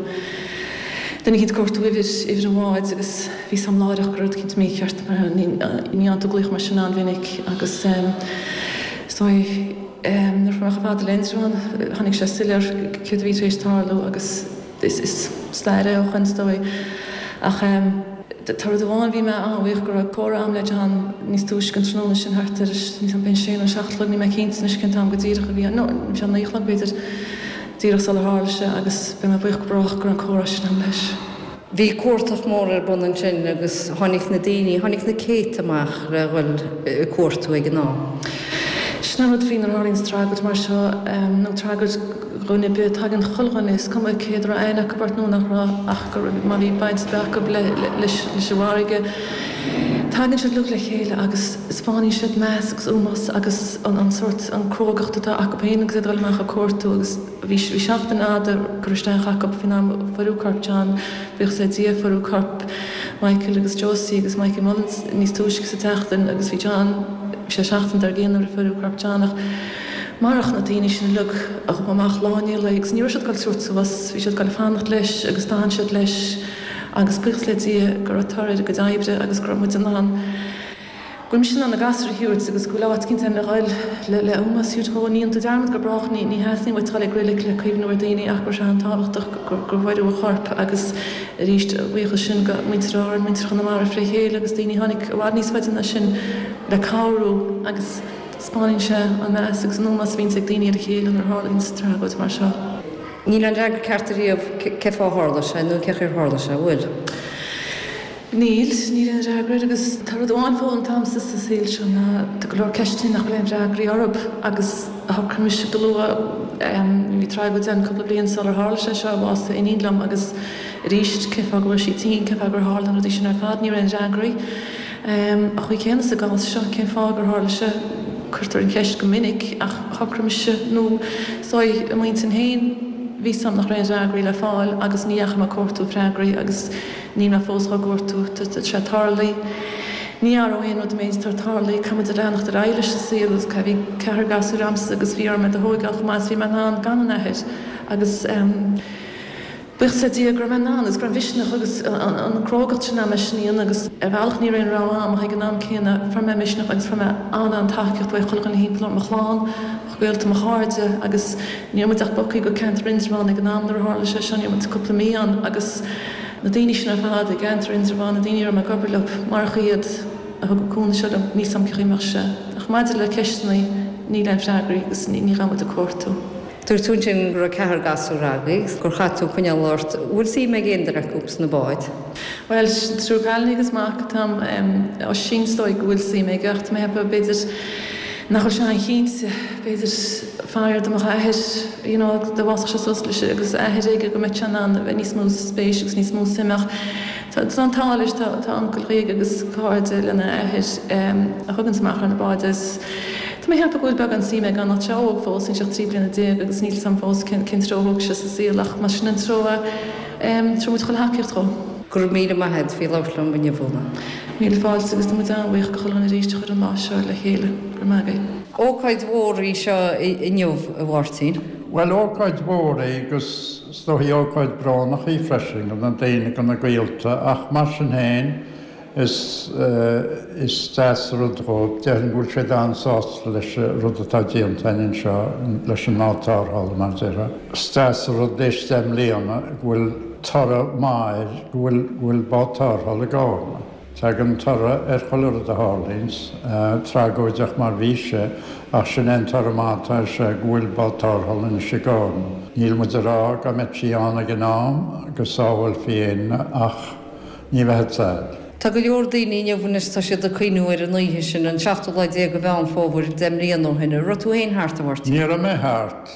duine eicínt ag cuartú uimhir, uimhir an bháid agus bhí 's a'm láithreach go raibh rud eicínt mícheart mar ní fhaigheann tú glaoch mar sin an-mhinic agus is dóigh Nuair a fuair mé chomh fada le Indreabhán, tháinig sé soiléir céard a bhí tar éis tarlú agus is stair é ó shoin, is dóigh. Ach tá rud amháin, bhí mé an-bhuíoch go raibh comhrá agam le John níos túisce an tráthnóna sin, thart ar, níl 's a'm, b'fhéidir sé nó seacht a chlog, níl mé cinnte anois cén t-am go díreach a bhí ann, nó bhí sé naoi a chlog b'fhéidir, díreach sular tharla sé agus beidh mé buíoch go brách go raibh an comhrá sin agam leis. Bhí cuartach mór ar bun ansin agus tháinig na daoine, tháinig na céadta amach le dhul ag cuartú ag an am. Sin an rud faoi nuair a tharlaíonns tragóid mar seo, nó tragóid dhuine ar bith, tagann chuile dhuine, is cuma cé a raibh aithne acu ort nó nach raibh, ach go raibh, má bhí baint ar bith acu leis an bhfarraige, tagann siad uilig le chéile agus 'speáineann siad meas agus ómós agus an sórt, an crógacht atá acu féin agus iad ag dul amach ag cuartú agus. Bhí seachtain fhada curtha isteach acu faoin am a fuaireadh corp John, buíochas le Dia, fuaireadh corp Michael agus Josie agus Mikey Mullins níos túisce sa tseachtain agus bhí John, bhí sé seachtain dár gcionn nuair a fuaireadh corp John ach marach na daoine sin uilig a chuaigh amach lá i ndiaidh lae agus ní raibh siad ag dul tabhairt suas, bhí siad ag dul fanacht leis agus d'fhan siad leis agus buíochas le Dia go raibh toradh ar a gcuid oibre agus go raibh muid in ann Go bhfuil mise in ann na gasúir a thabhairt agus go bhfuil áit eicínt ann le dhul le le ómós a thabhairt dhó. Ní dhéanann tú dearmad go brách, ní ní theastaíonn uait dhul ag reilig le cuimhniú ar daoine ach go raibh sé an-tábhachtach gur gur fuaireadh a chorp agus arís a bhuíochas sin go muintir Árann, muintir Chonamara fré chéile agus daoine a tháinig i bhfad níos faide ná sin le cabhrú agus 'speáineann sé an meas agus an ómós a bhíonns ag daoine ar a chéile nuair a tharlaíonns tragóid mar seo. Níl aon fhreagra ceart ariamh cé fáth a tharla sé nó cén chaoi ar tharla sé, an bhfuil? Níl, níl aon fhreagra air agus tá rud amháin foghlamtha a'msa sa saol seo ná tá go leor ceisteanna nach bhfuil aon fhreagraí orthu agus shocraigh mise go luath, bhí tragóid ann cúpla bliain sular tharla sé seo, bhásaigh iníon liom agus arís cén fáth go raibh sí tinn, cén fáth gur tharla na rudaí sin ar fad, ní raibh aon fhreagraí. An chaoi chéanna sa gcás seo, cén fáth gur tharla sé, cuirtear an cheist go minic ach shocraigh mise nó is dóigh i m'intinn féin, bhí 's a'm nach raibh aon fhreagraí le fáil agus ní dheachaigh mé ag cuartú freagraí agus Níl mé fós á gcuartú. Tá sé tarlaithe. Ní athróidh aon rud an méid atá tarlaithe. Caithfidh muid a leanacht ar aghaidh leis an saol agus bhí ceathrar gasúr a'msa agus bhí orm iad a thóigeáil chomh maith is bhí mé in ann gan an athair agus buíochas le Dia go raibh mé in ann agus go raibh an mhisneach agus an crógacht sin a'm é sin a dhéanamh agus ar bhealach ní raibh aon rogha a'm ach ag an am céanna fuair mé misneach agus fuair mé an-an-tacaíocht uaidh chuile dhuine thimpeall orm, mo chlann, mo ghaolta, mo chairde agus ní raibh muid ach bogthaí go ceantar Indreabhán ag an am nuair a tharla sé seo, ní raibh muid cúpla mí ann agus na daoine sin ar fad i gceantar Indreabhán, na daoine a raibh mé ag obair leo, marach iad a thug an cúnamh seo liom, níl 's a'm cén chaoi a mbeadh sé. Ach maidir le ceisteanna, níl aon freagraí agus ní ghabhfaidh muid ag cuartú. Dúirt tú ansin go raibh ceathrar gasúr agaibh, gur chaith tú coinneáil ort. Bhfuil suim ag aon duine acu sna báid? Bhuel, triúr cailíní agus mac atá a'm. Oisín is dóigh go bhfuil suim aige ach tá mé ag ceapadh b'fhéidir nach bhfuil sé an-chinnte. B'fhéidir faraor dá mbeadh a athair, you know, dá bhfásfadh sé suas leis agus a athair aige go mbeadh sé in ann a bheith níos mó spéis agus níos mó suim ach Tá an t-ádh leis, tá uncail aige agus cairde lena athair a thuganns amach ar na báid agus tá mé ag ceapadh go bhfuil beagán suim aige ann ach tá sé óg fós, níl sé ach trí bliana déag agus níl 'fhios a'm fós cén treo a thógfaidh sé sa saol ach más sin an treo é, tabharfaidh muid chuile thacaíocht dhó. Go raibh míle maith agat faoi labhairt liom inniu, Úna. Míle fáilte agus tá muid an-bhuíoch go chuile dhuine arís a chuir an lá seo le chéile. Go raibh maith agaibh. Ócáid mhór í seo inniu, a Mháirtín. Bhuel, ócáid mhór í agus is dóichí ócáid brónach í freisin do na daoine, do na gaolta, ach mar sin féin is is deas an rud dhóibh. Déarfainn go bhfuil siad an-sásta leis an rud atá déanta againn anseo leis an mbád tarrthála, mar a déarfá. Is deas an rud théis deich mbliana go bhfuil toradh maith air, go bhfuil go bhfuil bád tarrthála i gCárna. Tagann toradh ar chuile rud a tharlaíonns, tragóideach mar bhí sé, ach sin é an toradh maith atá air seo, go bhfuil bád tarrthála anois i gCárna. Níl muid ag rá dá mbeadh sí ann ag an am go sábhálfaí éinne ach ní bheadh a fhios a'd. Tá go leor daoine inniu anois, tá siad ag cuimhniú ar an oíche sin, an seachtú lá déag de Mheán Fómhair, deich mbliana ó shin. An raibh tú féin thart, a Mháirtín? Ní raibh mé thart.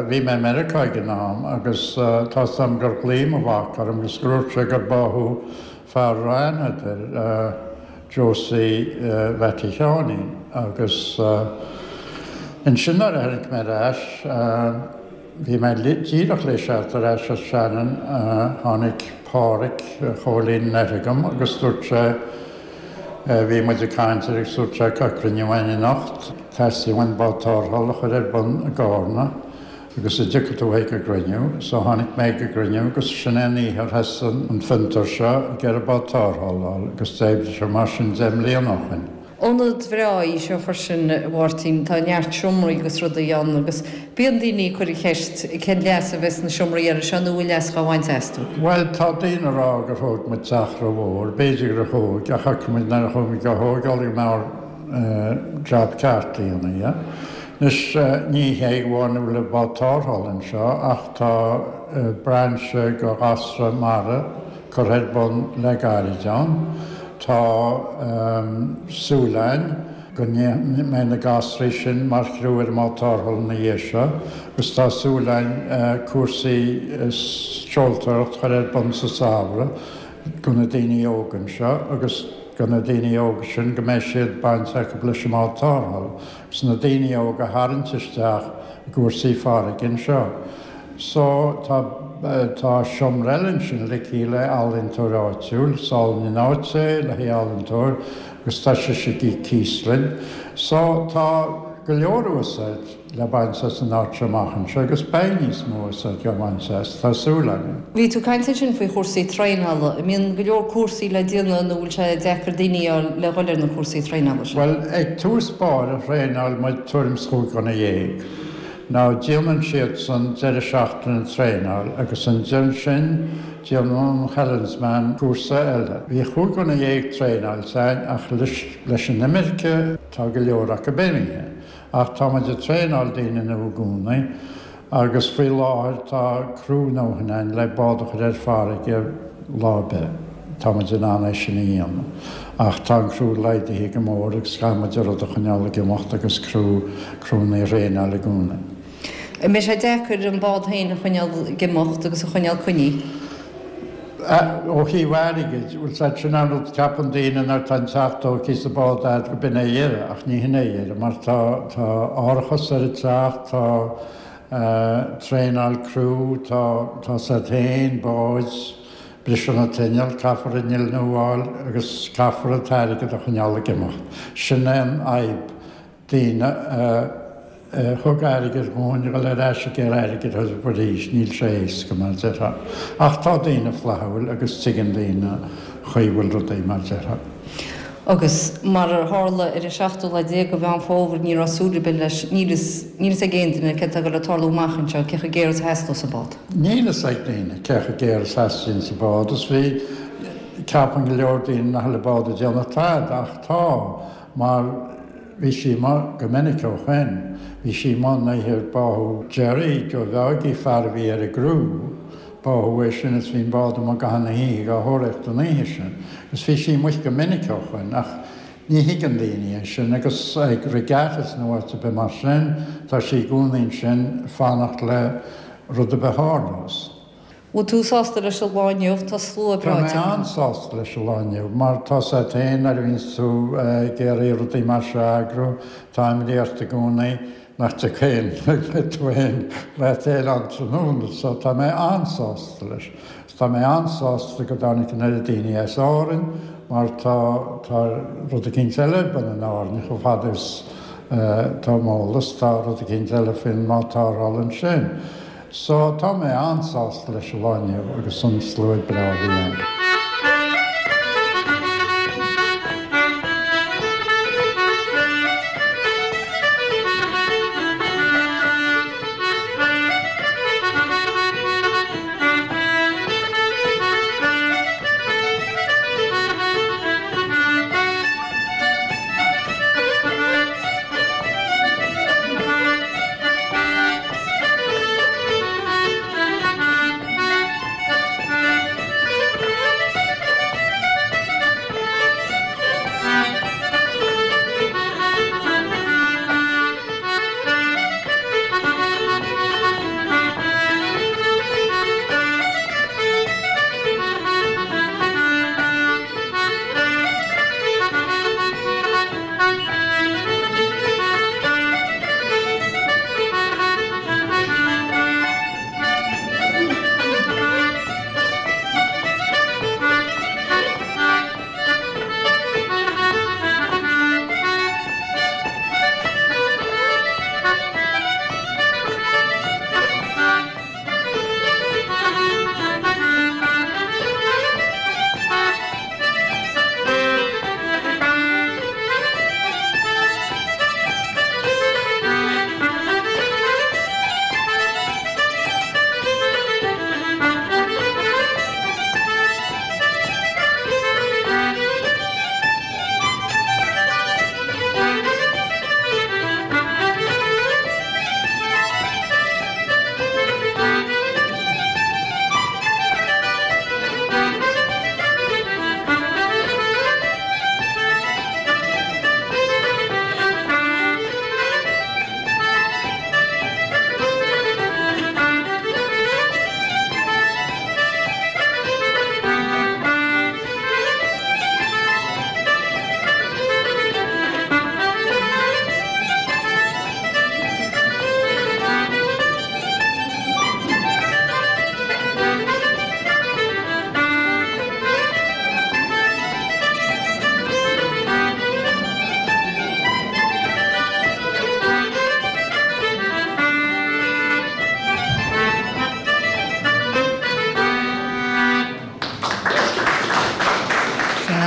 Bhí mé i Meiriceá ag an am agus tá 'fhios a'm gur ghlaoigh mo mhac orm agus gur dhúirt sé gur báthadh Fear a raibh aithne a'd air, Josie Mhattie Sheáinín, agus ansin nuair a tháinig mé ar ais, bhí mé díreach le theacht ar ais as Shannon, tháinig Páraic Chóilín Anoir chugam agus dúirt sé, bhí muid ag caint air agus dúirt sé, tá cruinniú againn anocht, teastaíonn uainn bád tarrthála a chur ar bun i gCárna. Agus an dtiocfaidh tú ag an gcruinniú. So tháinig mé ag an gcruinniú agus sin é an oíche ar thosaigh an fiontar seo ag iarraidh bád tarrthála a fháil agus d'oibrigh sé mar sin deich mbliana ó shin. Ionad bhreá í seo freisin, a Mháirtín. Tá neart seomraí agus rudaí ann agus bíonn daoine ag cur an cheist cén leas a bheas na seomraí eile seo nó an bhfuil leas dhá bhaint astu. Bhuel, tá daoine ag rá gur thóg muid teach rómhór. B'fhéidir gur thóg, ach chonaic muid nuair a chuaigh muid á thógáil go mbeadh jab ceart a dhéanamh dhe. Anois, ní hé amháin go bhfuil an bád tarrthála anseo ach tá brainse go ghasra mara curtha ar bun le gairid ann. Tá súil againn go mbeidh na gasraí sin mar chriú ar an mbád tarrthála ina dhiaidh seo agus tá súil againn cúrsaí seoltóireacht a chur ar bun sa samhradh go na daoine óga anseo agus go na daoine óga sin go mbeidh siad baint acu leis an mbád tarrthála. 's na daoine óga a tharraingt isteach i gcúrsaí farraige anseo. So, tá, tá seomra eile ansin ligthe le ealaíontóir áitiúil, is álainn an áit é le haghaidh ealaíontóir agus tá sise ag íoc cíos linn. So, tá go leor úsáid le baint as an áit seo amach anseo agus beidh níos mó úsáid á bhaint as, tá súil againn. Bhí tú ag caint ansin faoi chúrsaí traenála. An mbíonn go leor cúrsaí le déanamh nó bhfuil sé deacair daoine a fháil le dhul ar na cúrsaí traenála sin? Bhuel, ag tús báire thraenáil muid tuairim is chúig dhuine dhéag. Now déanann siadsan deireadh seachtaine traenáil agus ansin déanann an Helensman cúrsa eile. Bhí chúig dhuine dhéag traenáilte againn ach leis an imirce tá go leor acu imithe. Ach tá muid ag traenáil daoine nua i gcónaí agus faoi láthair tá criú ndóthain againn le bád a chur ar farraige lá ar bith. Tá muid in ann é sin a dhéanamh. Ach tá an criú laghdaithe go mór agus caithfidh muid an rud a choinneáil ag imeacht agus criú, criúnna a thraenáil i gcónaí. An mbeidh sé deacair an bád féin a choinneáil ag imeacht agus a choinneáil coinnithe? Ó thaobh airgid, bhuel sea, sin an rud, ceapann daoine nuair atá an teach tógtha is an bád a'd go b'in é dheireadh, ach ní hin é dheireadh, mar tá, tá árachas ar an teach, tá traenáil criú, tá, tá siad féin, báid, briseann an t-inneall, caithfear inneall nua a fháil agus caithfear an t-airgead a choinneáil ag imeacht. Sin é an fhadhb. daoine a thug airgead dhúinn a dhul ar ais ag iarraidh airgid orthu arís, níl sé éasca, mar a déarfá. Ach tá daoine flaithiúil agus tuigeann daoine an chaoi a bhfuil rudaí, mar a déarfá. Agus mar a tharla ar an seachtú lá déag de Mheán Fómhair, ní raibh súil ar bith leis, níl fhios, níl fhios ag aon duine céard atá ag dul le tarlú amach anseo, cé chomh géar is a theastós an bád. Níl fhios ag daoine cé chomh géar is a theastaíonns an bád. Is bhí, ceapann go leor daoine nach bhfuil an bád ag déanamh tada, ach tá, mar. Bhí sí amuigh go minic ó shoin. Bhí sí amuigh an oíche ar báthadh Jerry, Joe Mheáigí, fear a bhí ar an gcriú. Báthadh é sin is bhí an bád amuigh i gcaitheamh na hoíche dhá thóraíocht an oíche sin. Agus bhí sí amuigh go minic ó shoin ach ní thuigeann daoine é sin agus ag regattas nó áit ar bith mar sin, tá sí i gcónaí ansin fanacht le rud ar bith a tharlós. Bhfuil tú sásta leis an lá inniu? Tá slua breá tagtha. Tá mé an-sásta leis an lá inniu, mar tá's a't féin nuair a bhíonns tú ag iarraidh rudaí mar seo a eagrú, tá imní ort i gcónaí nach dtiocfaidh aon, nach mbeidh tú féin leat féin ann tráthnóna, so tá mé an-sásta leis. Agus tá mé an-sásta go dtáinig an oiread daoine as Árainn, mar tá, tá rud eicínt eile ar bun in Árainn chomh fada is tá m'eolas, tá rud eicínt eile faoin mbád tarrthála ansin. So, tá mé an-sásta leis an lá inniu agus an slua breá a bhí ann.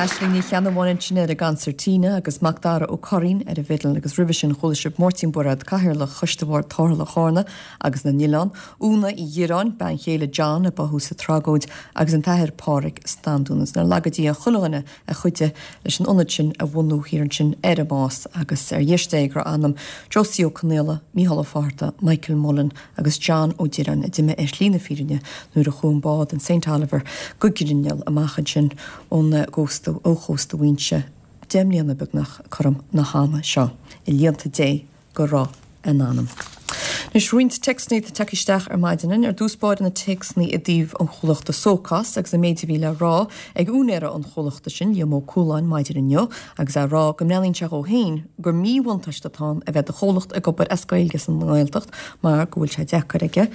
Aisling Ní Cheannabháin ansin ar an gconsairtín agus Macdara Ó Curraoin ar an bhfidil agus roimhe sin chuala sibh Máirtín Bairéad, Cathaoirleach Choiste Bhord Tarrthála Chárna agus na nOileán, Úna Uí Dhireáin, bean chéile John a báthadh sa tragóid agus an tAthair Pádraig Standún. Is nár laga Dia chuile dhuine a chuidigh leis an ionad sin a bhunú thiar ansin ar an Más agus ar dheis Dé go raibh anam Josie Ó Conaola, Mícheál Ó Fátharta, Michael Mullen agus John Ó Direáin a d'imigh ar shlí na fírinne nuair a chuaigh an bád an Saint Oliver go grinneall amach ansin ón gcósta ó chósta Mhuighinse deich mbliana beagnach cothrom na hama seo. I líonta Dé go raibh a n-anam. Anois roinnt téacsanna atá tagtha isteach ar maidin. Ar dtús báire na téacsanna i dtaobh an chomhlachta Sócás agus an méid a bhí le rá ag úinéara an chomhlachta sin, Liam Ó Cualáin, maidin inniu agus é ag rá go mbreathnaíonn sé dhó féin gur míbhuntáiste atá ann a bheith do chomhlacht ag obair as Gaeilge sa nGaeltacht mar go bhfuil sé deacair aige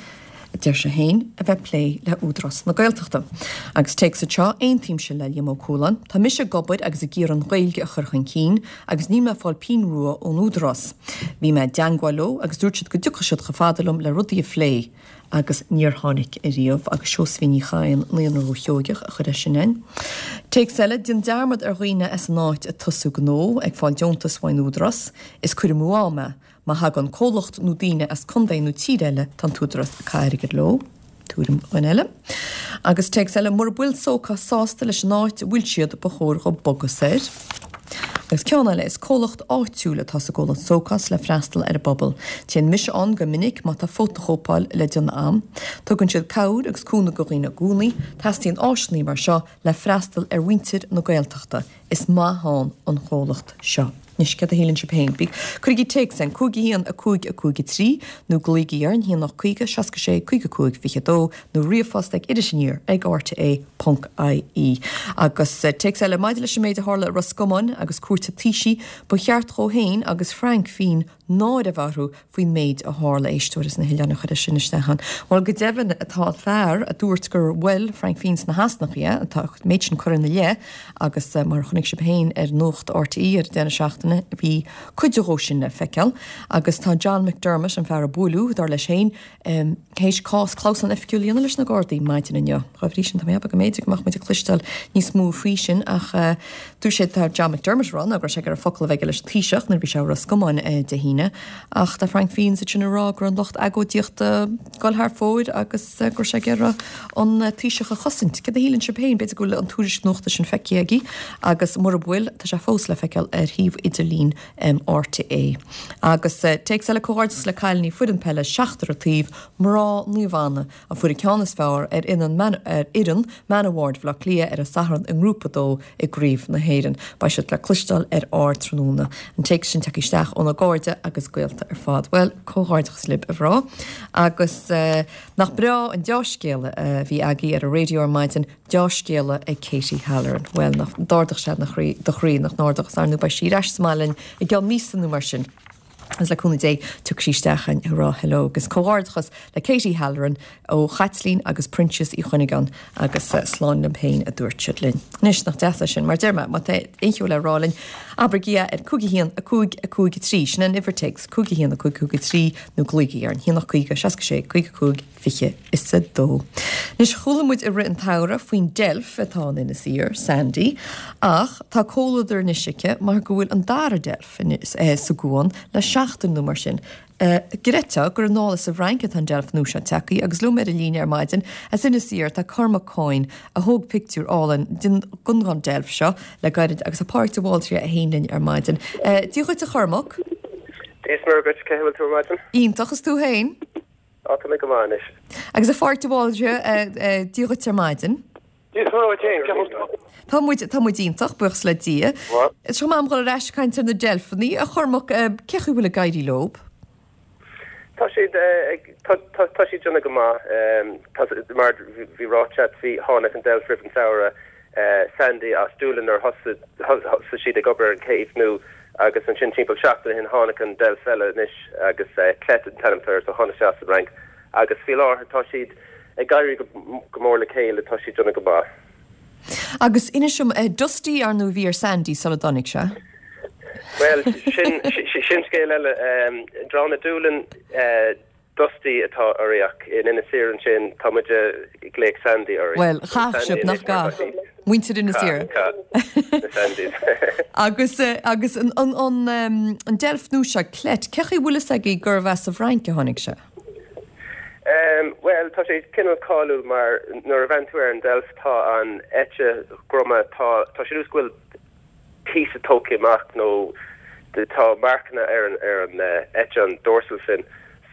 a deir sé féin, a bheith ag plé le Údarás na Gaeltachta. Agus téacs anseo, Aontaímse le Liam Ó Cualáin. Tá mise ag obair agus ag iarraidh an Ghaeilge a chur chun cinn agus níl mé ag fáil pingin rua ón Údarás. Bhí mé i dteangmháil leo agus dúirt siad go dtiocfadh siad chomh fada liom le rudaí a phlé agus níor tháinig ariamh. Agus Seosaimhín Ní Chadhain, Naíonra Dhúiche Sheoigeach, a chuir é sin a'inn. Téacs eile, Déan dearmad ar dhaoine as an áit ag tosú gnó, ag fáil deontas uaidh an Údarás. Is cur amú ama é. Má thagann comhlacht nó daoine as contae nó tír eile, tá an tÚdarás ag caitheamh airgid leo. Tuairim dhuine eile. Agus téacs eile, mura bhfuil Sócás sásta leis an áit a bhfuil siad, ba chóir dhóibh bogadh soir. Agus ceann eile, is comhlacht áitiúil atá sa gcomhlacht Socos le freastal ar an bpobal. Téann mise ann go minic má tá fótachóipeáil le déanamh a'm. Tugann siad cabhair agus cúnamh go dhaoine i gcónaí. Teastaíonn áiseanna mar seo le freastal ar mhuintir na Gaeltachta. Is maith ann an chomhlacht seo. Anois, céard a shíleann sibh féin? Bí, cuirigí téacs chugainn, cúig a haon, a cúig, a cúig a trí, nó glaoigí orainn, a haon ocht caoga, seasca sé, caoga cúig, fiche dó, nó ríomhphost ag Iris Aniar ag rte ponc ie. Agus téacs eile maidir leis an méid a tharla i Ros Comáin agus cúirt an Taoisigh, ba cheart dhó féin agus Frank Feen náire a bheith orthu faoin méid a tharla. Éisteoir as na hoileáin a chuir é sin isteach ann. Bhuel, go deimhin, tá an fear a dúirt gur bhuail Frank Feen sna heasnacha é, tá an méid sin curtha ina leith agus mar a chonaic sibh féin ar Nuacht RTÉ ar an deireadh seachtaine, bhí cuid dhó sin le feiceáil. Agus tá John McDermott, an fear a buaileadh, dar leis féin, théis cás clamhsán oifigiúil a dhéanamh leis na Gardaí maidin inniu. Dá bhrí sin, tá mé ag ceapadh go mb'fhéidir go mbeadh muid ag cloisteáil níos mó faoi sin ach dúirt sé, tá John McDermott ag rá ná go raibh sé ag iarraidh focal a bheith aige leis an Taoiseach nuair a bhí sé i Ros Comáin Dé hAoine ach tá Frank Feen ansin ag rá go raibh an lucht agóidíochta ag dul thar fóir agus go raibh sé ag iarraidh an Taoiseach a chosaint. Céard a shíleann sibh féin? B'fhéidir go bhfuil an tuairisc nuachta sin feicthe agaibh agus mura bhfuil, tá sé fós le feiceáil ar shuíomh idirlín RTÉ. Agus téacs eile comhghairdeas le cailíní foireann peile seachtar an taobh, mná Naomh Anna, a fuair an ceann is fearr ar fhoireann Manor Ward Bhaile Átha Cliath ar an Satharn i nGrúpa a dó i gCraobh na hÉireann. Beidh siad le cloisteáil ar Ardtráthnóna. An téacs sin tagtha isteach óna gcairde agus gaolta ar fad. Bhuel, comhghairdeachas libh a mhná. Agus nach breá an deá-scéala a bhí agaibh ar an raidió ar maidin, deá-scéala ag Katie Halloran. Bhuel, nach d'ardaigh sé do chroí, nach n-ardaigh, is ar ndóigh beidh sí ar ais sa mbaile linn i gceann míosa nó mar sin. Agus le cúnamh Dé, tiocfaidh sí isteach ag rá hello agus comhghairdeachas le Katie Halloran ó Chaitlín agus Proinsias Uí Chuinneagáin agus slán liom féin a dúirt siad linn. Anois nach deas é sin, mar deir mé, má tá aon cheo le rá linn, abraigí é ar cúig a haon, a cúig, a cúig a trí, sin an uimhir téacs, cúig a haon, a cúig, a cúig a trí, nó glaoigí orainn, haon ocht caoga, seasca sé, caoga cúig, fiche is a dó. Anois chuala muid i rith an tsamhraidh faoin deilf atá in Inis Oírr, Sandy, ach tá comhluadar anois aici mar go bhfuil an dara deilf sa gcuan le seachtain nó mar sin. Gcreidfeá gur anall as an bhFrainc atá an deilf nua seo tagtha agus liom ar an líne ar maidin as Inis Oírr tá Cormac Coyne a thóg pictiúr álainn den den deilf seo le gairid agus tá Pádraig de Bhaldraithe é féin linn ar maidin. Dia dhuit a Chormac. Dia is Muire dhuit, cén chaoi a bhfuil tú ar maidin? Iontach is tú féin? Á tá mé go maith anois. Agus a Phádraig de Bhaldraithe, Dia dhuit ar maidin. Dia is Muire dhuit féin, cén chaoi a bhfuil tú? Tá muid, tá muid iontach, buíochas le Dia. Seo m'am dhul ar ais ag caint ar na deilfeanna, a Chormac, cén chaoi a bhfuil ag éirí leo? Tá siad ag, tá, tá, tá siad déanamh go maith. Tá, mar bhí ráite agat, bhí, tháinig an deilf roimh an samhradh, Sandy as Doolin nuair thosaigh, thosaigh siad ag obair ar an céibh nua agus ansin timpeall seachtain ó shin tháinig an deilf eile anois agus Clet an t-ainm atá air so tháinig sé as an Fhrainc agus faoi láthair tá siad ag éirí go, go mór le chéile, tá siad déanamh go maith. Agus inis dom, Dusty ar ndóigh a bhí ar Sandy sula dtáinig sé? Bhuel, sin, sin scéal eile. Drána Doolin, Dusty atá uirthi ach in Inis Oírr ansin tá muid ag glaoch Sandy uirthi. Bhuel, chaith sibh, nach gcaith? Muintir Inis Oírr. Na Sandys. Agus, agus an, an, an, an deilf nua seo, Clet, cén chaoi a bhfuil fhios agaibh gurbh as an bhFrainc a tháinig sé? Bhuel, tá sé cineál cáiliúil mar nuair a bhreathnaíonn tú ar an deilf tá an eite dhroma, tá, tá sé nós go bhfuil píosa tógtha amach nó tá marcanna ar an ar an eite an dorsal fin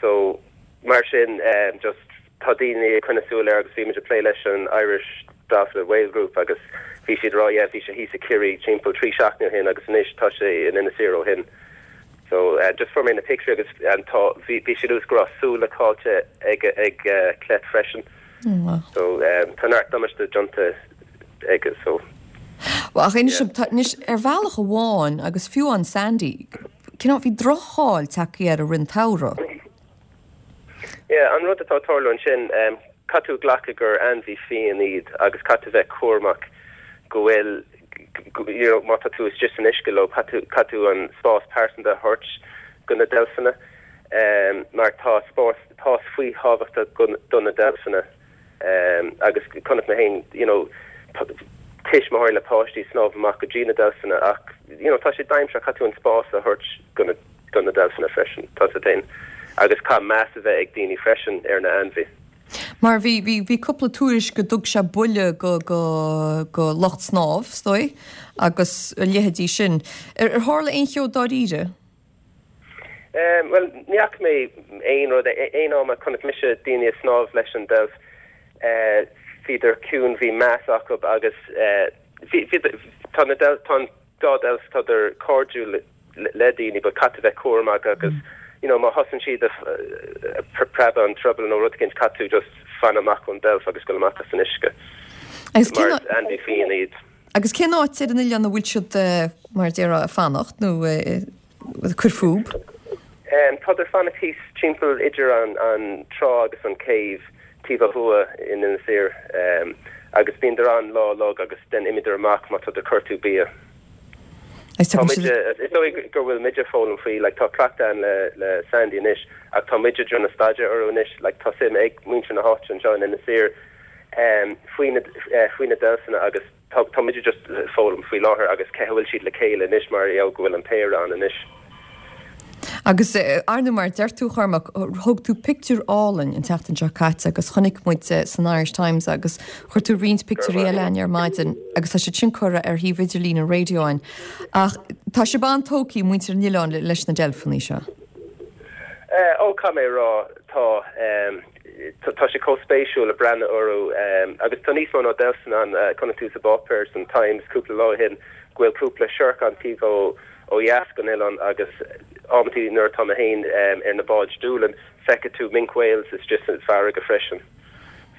so mar sin just tá daoine ag coinneáil súil air agus bhí muid ag plé leis an Irish Dolphin and Whale Group agus bhí siad ag rá yeah bhí sé thíos i Ciarraí timpeall trí seachtaine ó shin agus anois tá sé in Inis Oírr ó shin so just fuair mé na pictiúirí agus tá bhí bhí sé nós go raibh súile caillte ag ag Clet freisin so tá neart damáiste déanta aige so. Well, ach inis, tá, anois, ar bhealach amháin agus fiú an Sandy, cineál bhí droch-cháil tagtha air i rith an tsamhraidh. Yeah, an rud atá ag tarlú ansin, um, caithfidh tú glacadh gur ainmhí fiáin iad agus caithfidh tú bheith cúramach go bhfuil, you know, má tá tú istigh san uisce leo, caithfidh tú, caithfidh tú an spás pearsanta a thabhairt go na deilfeanna, um, mar tá spás, spás fíorthábhachtach go, do na deilfeanna. Agus chonaic mé féin, you know, tuismitheoirí le páistí snámh amach go dtí na deilfeanna ach, you know, tá sé dainséarach, caithfidh tú an spás a thabhairt go na, do na deilfeanna freisin, tá sé féin. Agus caithfidh meas a bheith ag daoine freisin ar na ainmhithe. Mar bhí, bhí, bhí cúpla tuairisc go dtug sé buille go, go, go lucht snámh, is dóigh, agus a leithéidí sin. Ar, ar tharla aon cheo dáiríre? Bhuel, ní fhaca mé aon rud, aon am a chonaic mise daoine ag snámh leis an deilf, bhíodar ciúin, bhí meas acu agus bhí, bhí, tá na deilf, tá an dá deilf, tádar cairdiúil le daoine but caithfidh tú bheith cúramach agus you know má thosaíonn siad ag preabadh an druball nó rud éicint caithfidh tú just fan amach ón deilf agus gul amach as an uisce. Agus Mar is ainmhí fiáin iad. Agus cén áit ar an oileán a bhfuil siad, mar a déarfá, ag fanacht nó ag cur fúthu? Tádar fanacht thíos timpeall idir an trá agus an céibh taobh ó thuaidh in Inis Oírr agus bíondar ann lá uilig agus then imíodar amach má tádar ag cuartú bia. Tá muide, is dóigh go bhfuil muide ag foghlaim faoi, like tá cleachtadh ann le le Sandy anois ach tá muide ag déanamh staidéar orthu anois, like tá suim ag muintir na háite anseo in Inis Oírr faoi na faoi na deilfeanna agus tá tá muid just ag foghlaim faoi láthair agus cé a bhfuil siad le chéile anois mar gheall go bhfuil an péire ann anois. Agus ar ndóigh mar a deir tú a Chormac, thóg tú pictiúr álainn an tseachtain seo caite agus chonaic muid san Irish Times agus chuir tú roinnt pictiúirí eile againn ar maidin agus tá siad sin curtha ar shuíomh idirlín an raidió againn. Ach tá sibh an-tógtha, muintir an oileáin, leis na deilfeanna seo. Ó, caithfidh mé a rá, tá. Tá sé chomh spéisiúil a breathnú orthu agus tá níos mó ná deilfeanna ann. Chonaic tú sa bpáipéar san Times cúpla lá ó shin go bhfuil cúpla siorc ann taobh ó ó dheas den oileán agus amantaí nuair atá mé féin ar na báid Doolin feicfidh tú minke whales istigh san farraige freisin.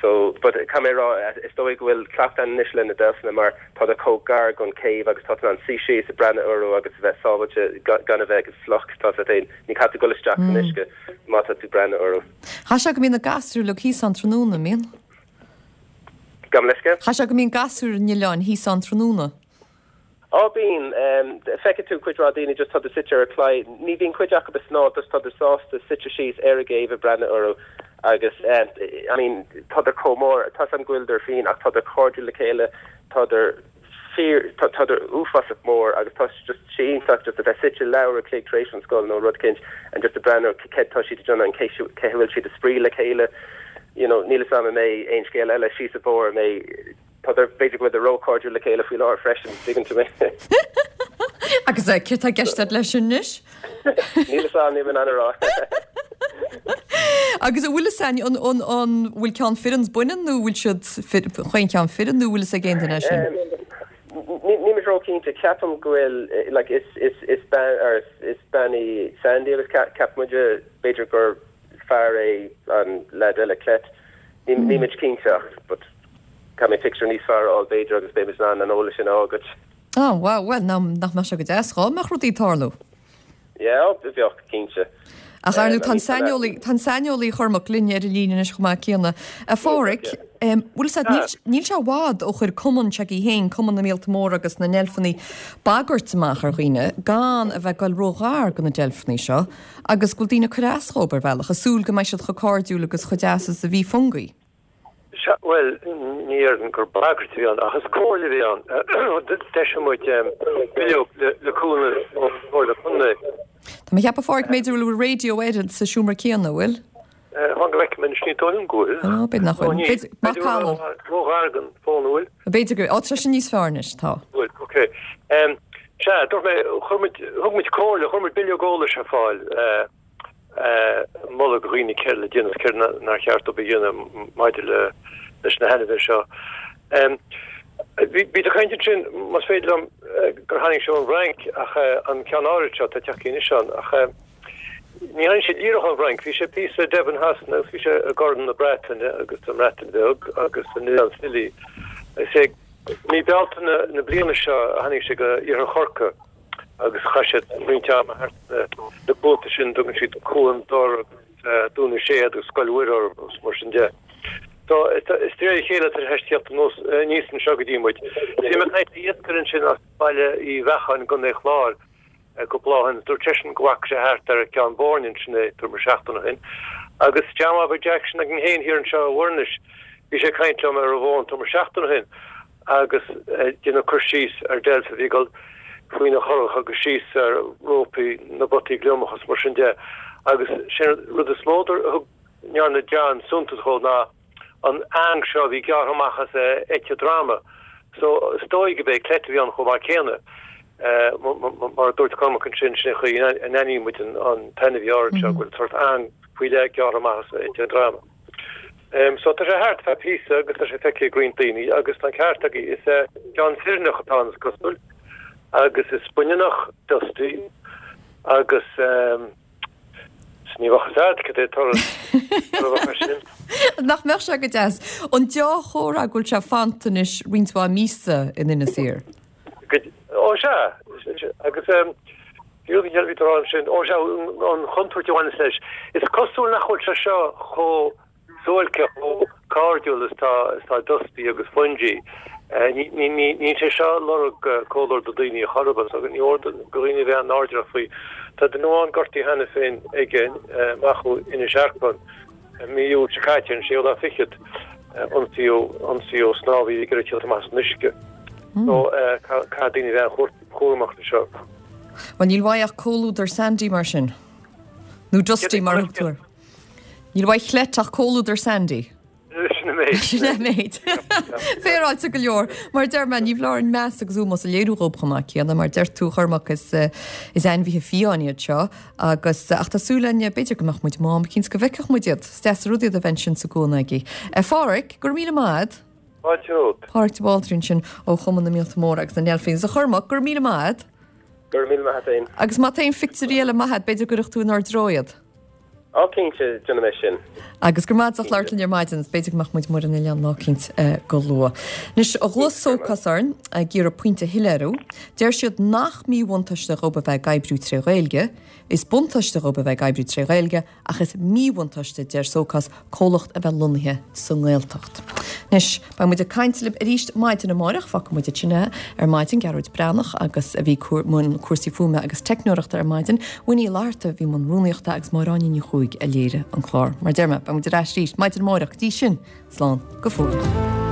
So, but caithfidh mé a rá, is dóigh go bhfuil cleachtadh ann anois le na deilfeanna mar tádar chomh gar don céibh agus tá tú in ann suí síos ag breathnú orthu agus a bheith sábháilte gan a bheith fliuch, tá tú féin, ní caithfidh tú dul isteach san uisce má tá tú ag breathnú orthu. Chaithfeadh sé go mbíonn na gasúir uilig thíos ann tráthnóna, an mbíonn? Gabh mo leithscéal? Chaithfeadh sé go mbíonn gasúir an oileáin thíos ann tráthnóna. Á bíonn. Feicfidh tú cuid mhaith daoine just tádar suite ar an chlaí. Ní bhíonn cuid acu ag snámh just tádar sásta suite síos ar an gcéibh ag breathnú orthu agus I mean tádar chomh mór, tá 's a'm go bhfuileadar fiáin ach tádar cairdiúil le chéile, tádar fíor, tádar uafásach mór agus tá just sé iontach just a bheith suite leathuair a chloig tar éis an scoil nó rud éicint and just ag breathnú céard tá siad ag déanamh and cé cé a bhfuil siad ag spraoi le chéile you know níl 'fhios a'm an mbeidh aon scéal eile síos an bóthar an mbeidh Tádar, b'fhéidir go bhfuileadar róchairdiúil le chéile faoi láthair freisin, tuigeann tú mé. Agus céard tá i gceist agat leis sin anois? Níl 'fhios a'm, níl mé in ann a rá. Agus an bhfuil 'fhios a'inn, an, an, an bhfuil ceann fireann 's baineann nó bhfuil siad fir, chaon cheann fireann nó bhfuil 'fhios ag aon duine é sin? Níl mé róchinnte, ceapaim go bhfuil, like, is, is, is bean, or is, is bean í Sandy agus ceapaim muide b'fhéidir gur fear é an leaid eile, Clet. Níl muid cinnte ach, but. Caithfidh mé pictiúr níos fearr a fháil b'fhéidir agus beidh muid in ann an eolas sin a fháil duit. Á, wow, bhuel, nach mbeadh sé go deas dhá mbeadh rudaí ag tarlú? Yeah, ó, bheadh, cinnte. Ach ar ndóigh, tá an saineolaí, tá an saineolaí Cormac linn ar an líne anois chomh maith céanna. A Pháraic, bhfuil 'fhios a'd, níl sé i bhfad ó chuir cumann s'agaibh féin, Cumann na Míolta Móra agus na nDeilfeanna, bagairt amach ar dhaoine gan a bheith ag goil ró-ghar do na deilfeanna seo agus go bhfuil daoine ag cur as dhóibh ar bhealach, ag súil go mbeidh siad chomh cairdiúil agus chomh deas is a bhí Fungie. Sea, bhuel, ní déarfainn gur bagairt a bhí ann, ach is comhairle a bhí ann. D'eisigh muid bileog le cúnamh ón Chomhairle Contae. Tá mé ag ceapadh, a Pháraic, b'fhéidir go bhfuil raidió air sa seomra céanna, an bhfuil? Fan go bhfeicfidh mé anois, ní dóigh liom go bhfuil. Ó, b'fhéidir nach bhfuil. B'fhéidir, macalla. Ró-ghar don fón, an bhfuil? B'fhéidir go, ó, tá sé níos fearr anois, tá. Bhfuil, ok. Sea, dúirt mé, chuir muid, thug muid comhairle, chuir muid bileog eolais ar fáil. moladh do dhaoine céard le déanamh is céard nár cheart dóibh a dhéanamh maidir leis na hainmhithe seo. Bhí tú ag caint ansin, más féidir liom, gur tháinig sé ón bhFrainc ach an ceann áirid seo atá ag teacht anois ann ach ní tháinig sé díreach ón bhFrainc, bhí sé píosa i Devon Shasana agus bhí sé i gCorn na Breataine agus sa mBreatain Bheag agus san Oileán Scilly. Is é mí Bealtaine na bliana seo a tháinig sé go Iarthar Chorcaí. agus chaith siad roinnt ama thart na cuanta sin, tugann siad Cuan Dor agus Dún na Séad agus Scoil Mhuire orthu agus mar sin de. So is de réir a chéile atá sé ag teacht aníos anseo go dtí muid. Bhí mé ag caint le iascaire ansin as Baile Uí Bheacháin i gContae an Chláir cúpla lá ó shin. Dúirt seisean go bhfaca sé thart ar Cheann Boirne ansin é tuairim is seachtain ó shin. Agus John Bhobby Jackson againn féin thiar anseo i bhFoirnis, bhí sé ag caint liom ar an bhfón tuairim is seachtain ó shin. agus ag déanamh cur síos ar deilf a bhí ag dul faoina churach agus síos ar rópaí na bpotaí gliomach is mar sin de agus sé an rud is mó a thug ndearna John suntas dhó ná an eang seo a bhí gearrtha amach as eite droma. So is dóigh gurb é Clete a bhí ann chomh maith céanna. Mar a dúirt Cormac ansin, sin an chaoi a n-aithníonn muid an t-ainmhí áirid seo, go bhfuil sórt eang faoi leith gearrtha amach as eite an droma. So tá sé thart feadh píosa agus tá sé feicthe ag roinnt daoine agus tá an ceart agaibh, is ceann fireannach atá ann is cosúil agus is baineannach Dusty agus ní bheadh fhios a'd cad é toradh a bheadh air sin. Nach mbeadh sé go deas? An deá-chomhartha go bhfuil sé fanta anois roinnt mhaith míosa in Inis Oírr. Ó sea, agus bhí rud eile a bhí tú a rá ansin, ó sea, an chontúirt a bhaineas leis. Is cosúil nach bhfuil sé seo chomh suáilceach, chomh cairdiúil is tá Dusty agus Fungie. Níl sé seo ag lorg comhluadar do daoine ar chor ar bith, agus ní mór do dhaoine a bheith an-airdeallach faoi. Tá duine amháin gortaithe cheana féin aige amach ó Inis Earcáin mí Iúil seo caite, an séú lá fichead, ionsaíodh snámhaí ag iarraidh tíocht amach as an uisce. So caithfidh daoine a bheith an-chúramach leis seo. Bhuel, níl uaidh ach comhluadar Sandy mar sin. Nó Dusty mar a thug tú air. Níl uaidh Chlete ach comhluadar Sandy. Sin an méid. Sin an méid. Féaráilte go leor. Mar a deir mé, ní foláir meas agus ómós a léiriú dhób chomh maith céanna. Mar deir tú, a Chormaic, is is ainmhithe fiáin iad seo agus ach tá súil againn b'fhéidir go mbeadh muid amuigh am eicínt go bhfeicfeadh muid iad. Is deas an rud iad a bheith ansin sa gcuan agaibh. A Pháraic, go raibh míle maith a'd. Fáilte romhat. Páraic de Bhaldraithe ansin ó Chumann na Míolta Móra agus na nDeilfíní. Is a Chormaic, go raibh míle maith a'd. Go raibh míle maith a'd féin. Agus má tá aon phictiúirí eile maith a'd, b'fhéidir go gcuirfeadh tú inár dtreo iad. Á cinnte, déanfaidh mé sin. Agus go raibh maith a'd as ucht labhairt linn ar maidin, is b'fhéidir go mbeadh muid amuigh ar an oileán lá eicínt go luath. Anois, ghlaoigh Sócás orainn ag iarraidh pointe a shoiléiriú. Deir siad nach míbhuntáiste dhób a bheith ag oibriú tré Ghaeilge. Is buntáiste dhób a bheith ag oibriú tré Ghaeilge, ach is míbhuntáiste, deir Sócás, comhlacht a bheith lonnaithe sa nGaeltacht. Anois, beidh muid ag caint libh arís maidin amárach. Fágfaidh muid ansin é ar maidin, Gearóid Breathnach agus a bhí i mbun cúrsaí fuaime agus teicneoireachta ar maidin, Winnie Uí Fhlatharta a bhí i mbun rúnaíochta agus Máire Áine Ní Chuaig a léirigh an clár. Mar a deir mé, beidh muid ar ais arís maidin amárach. Go dtí sin, slán go fóill.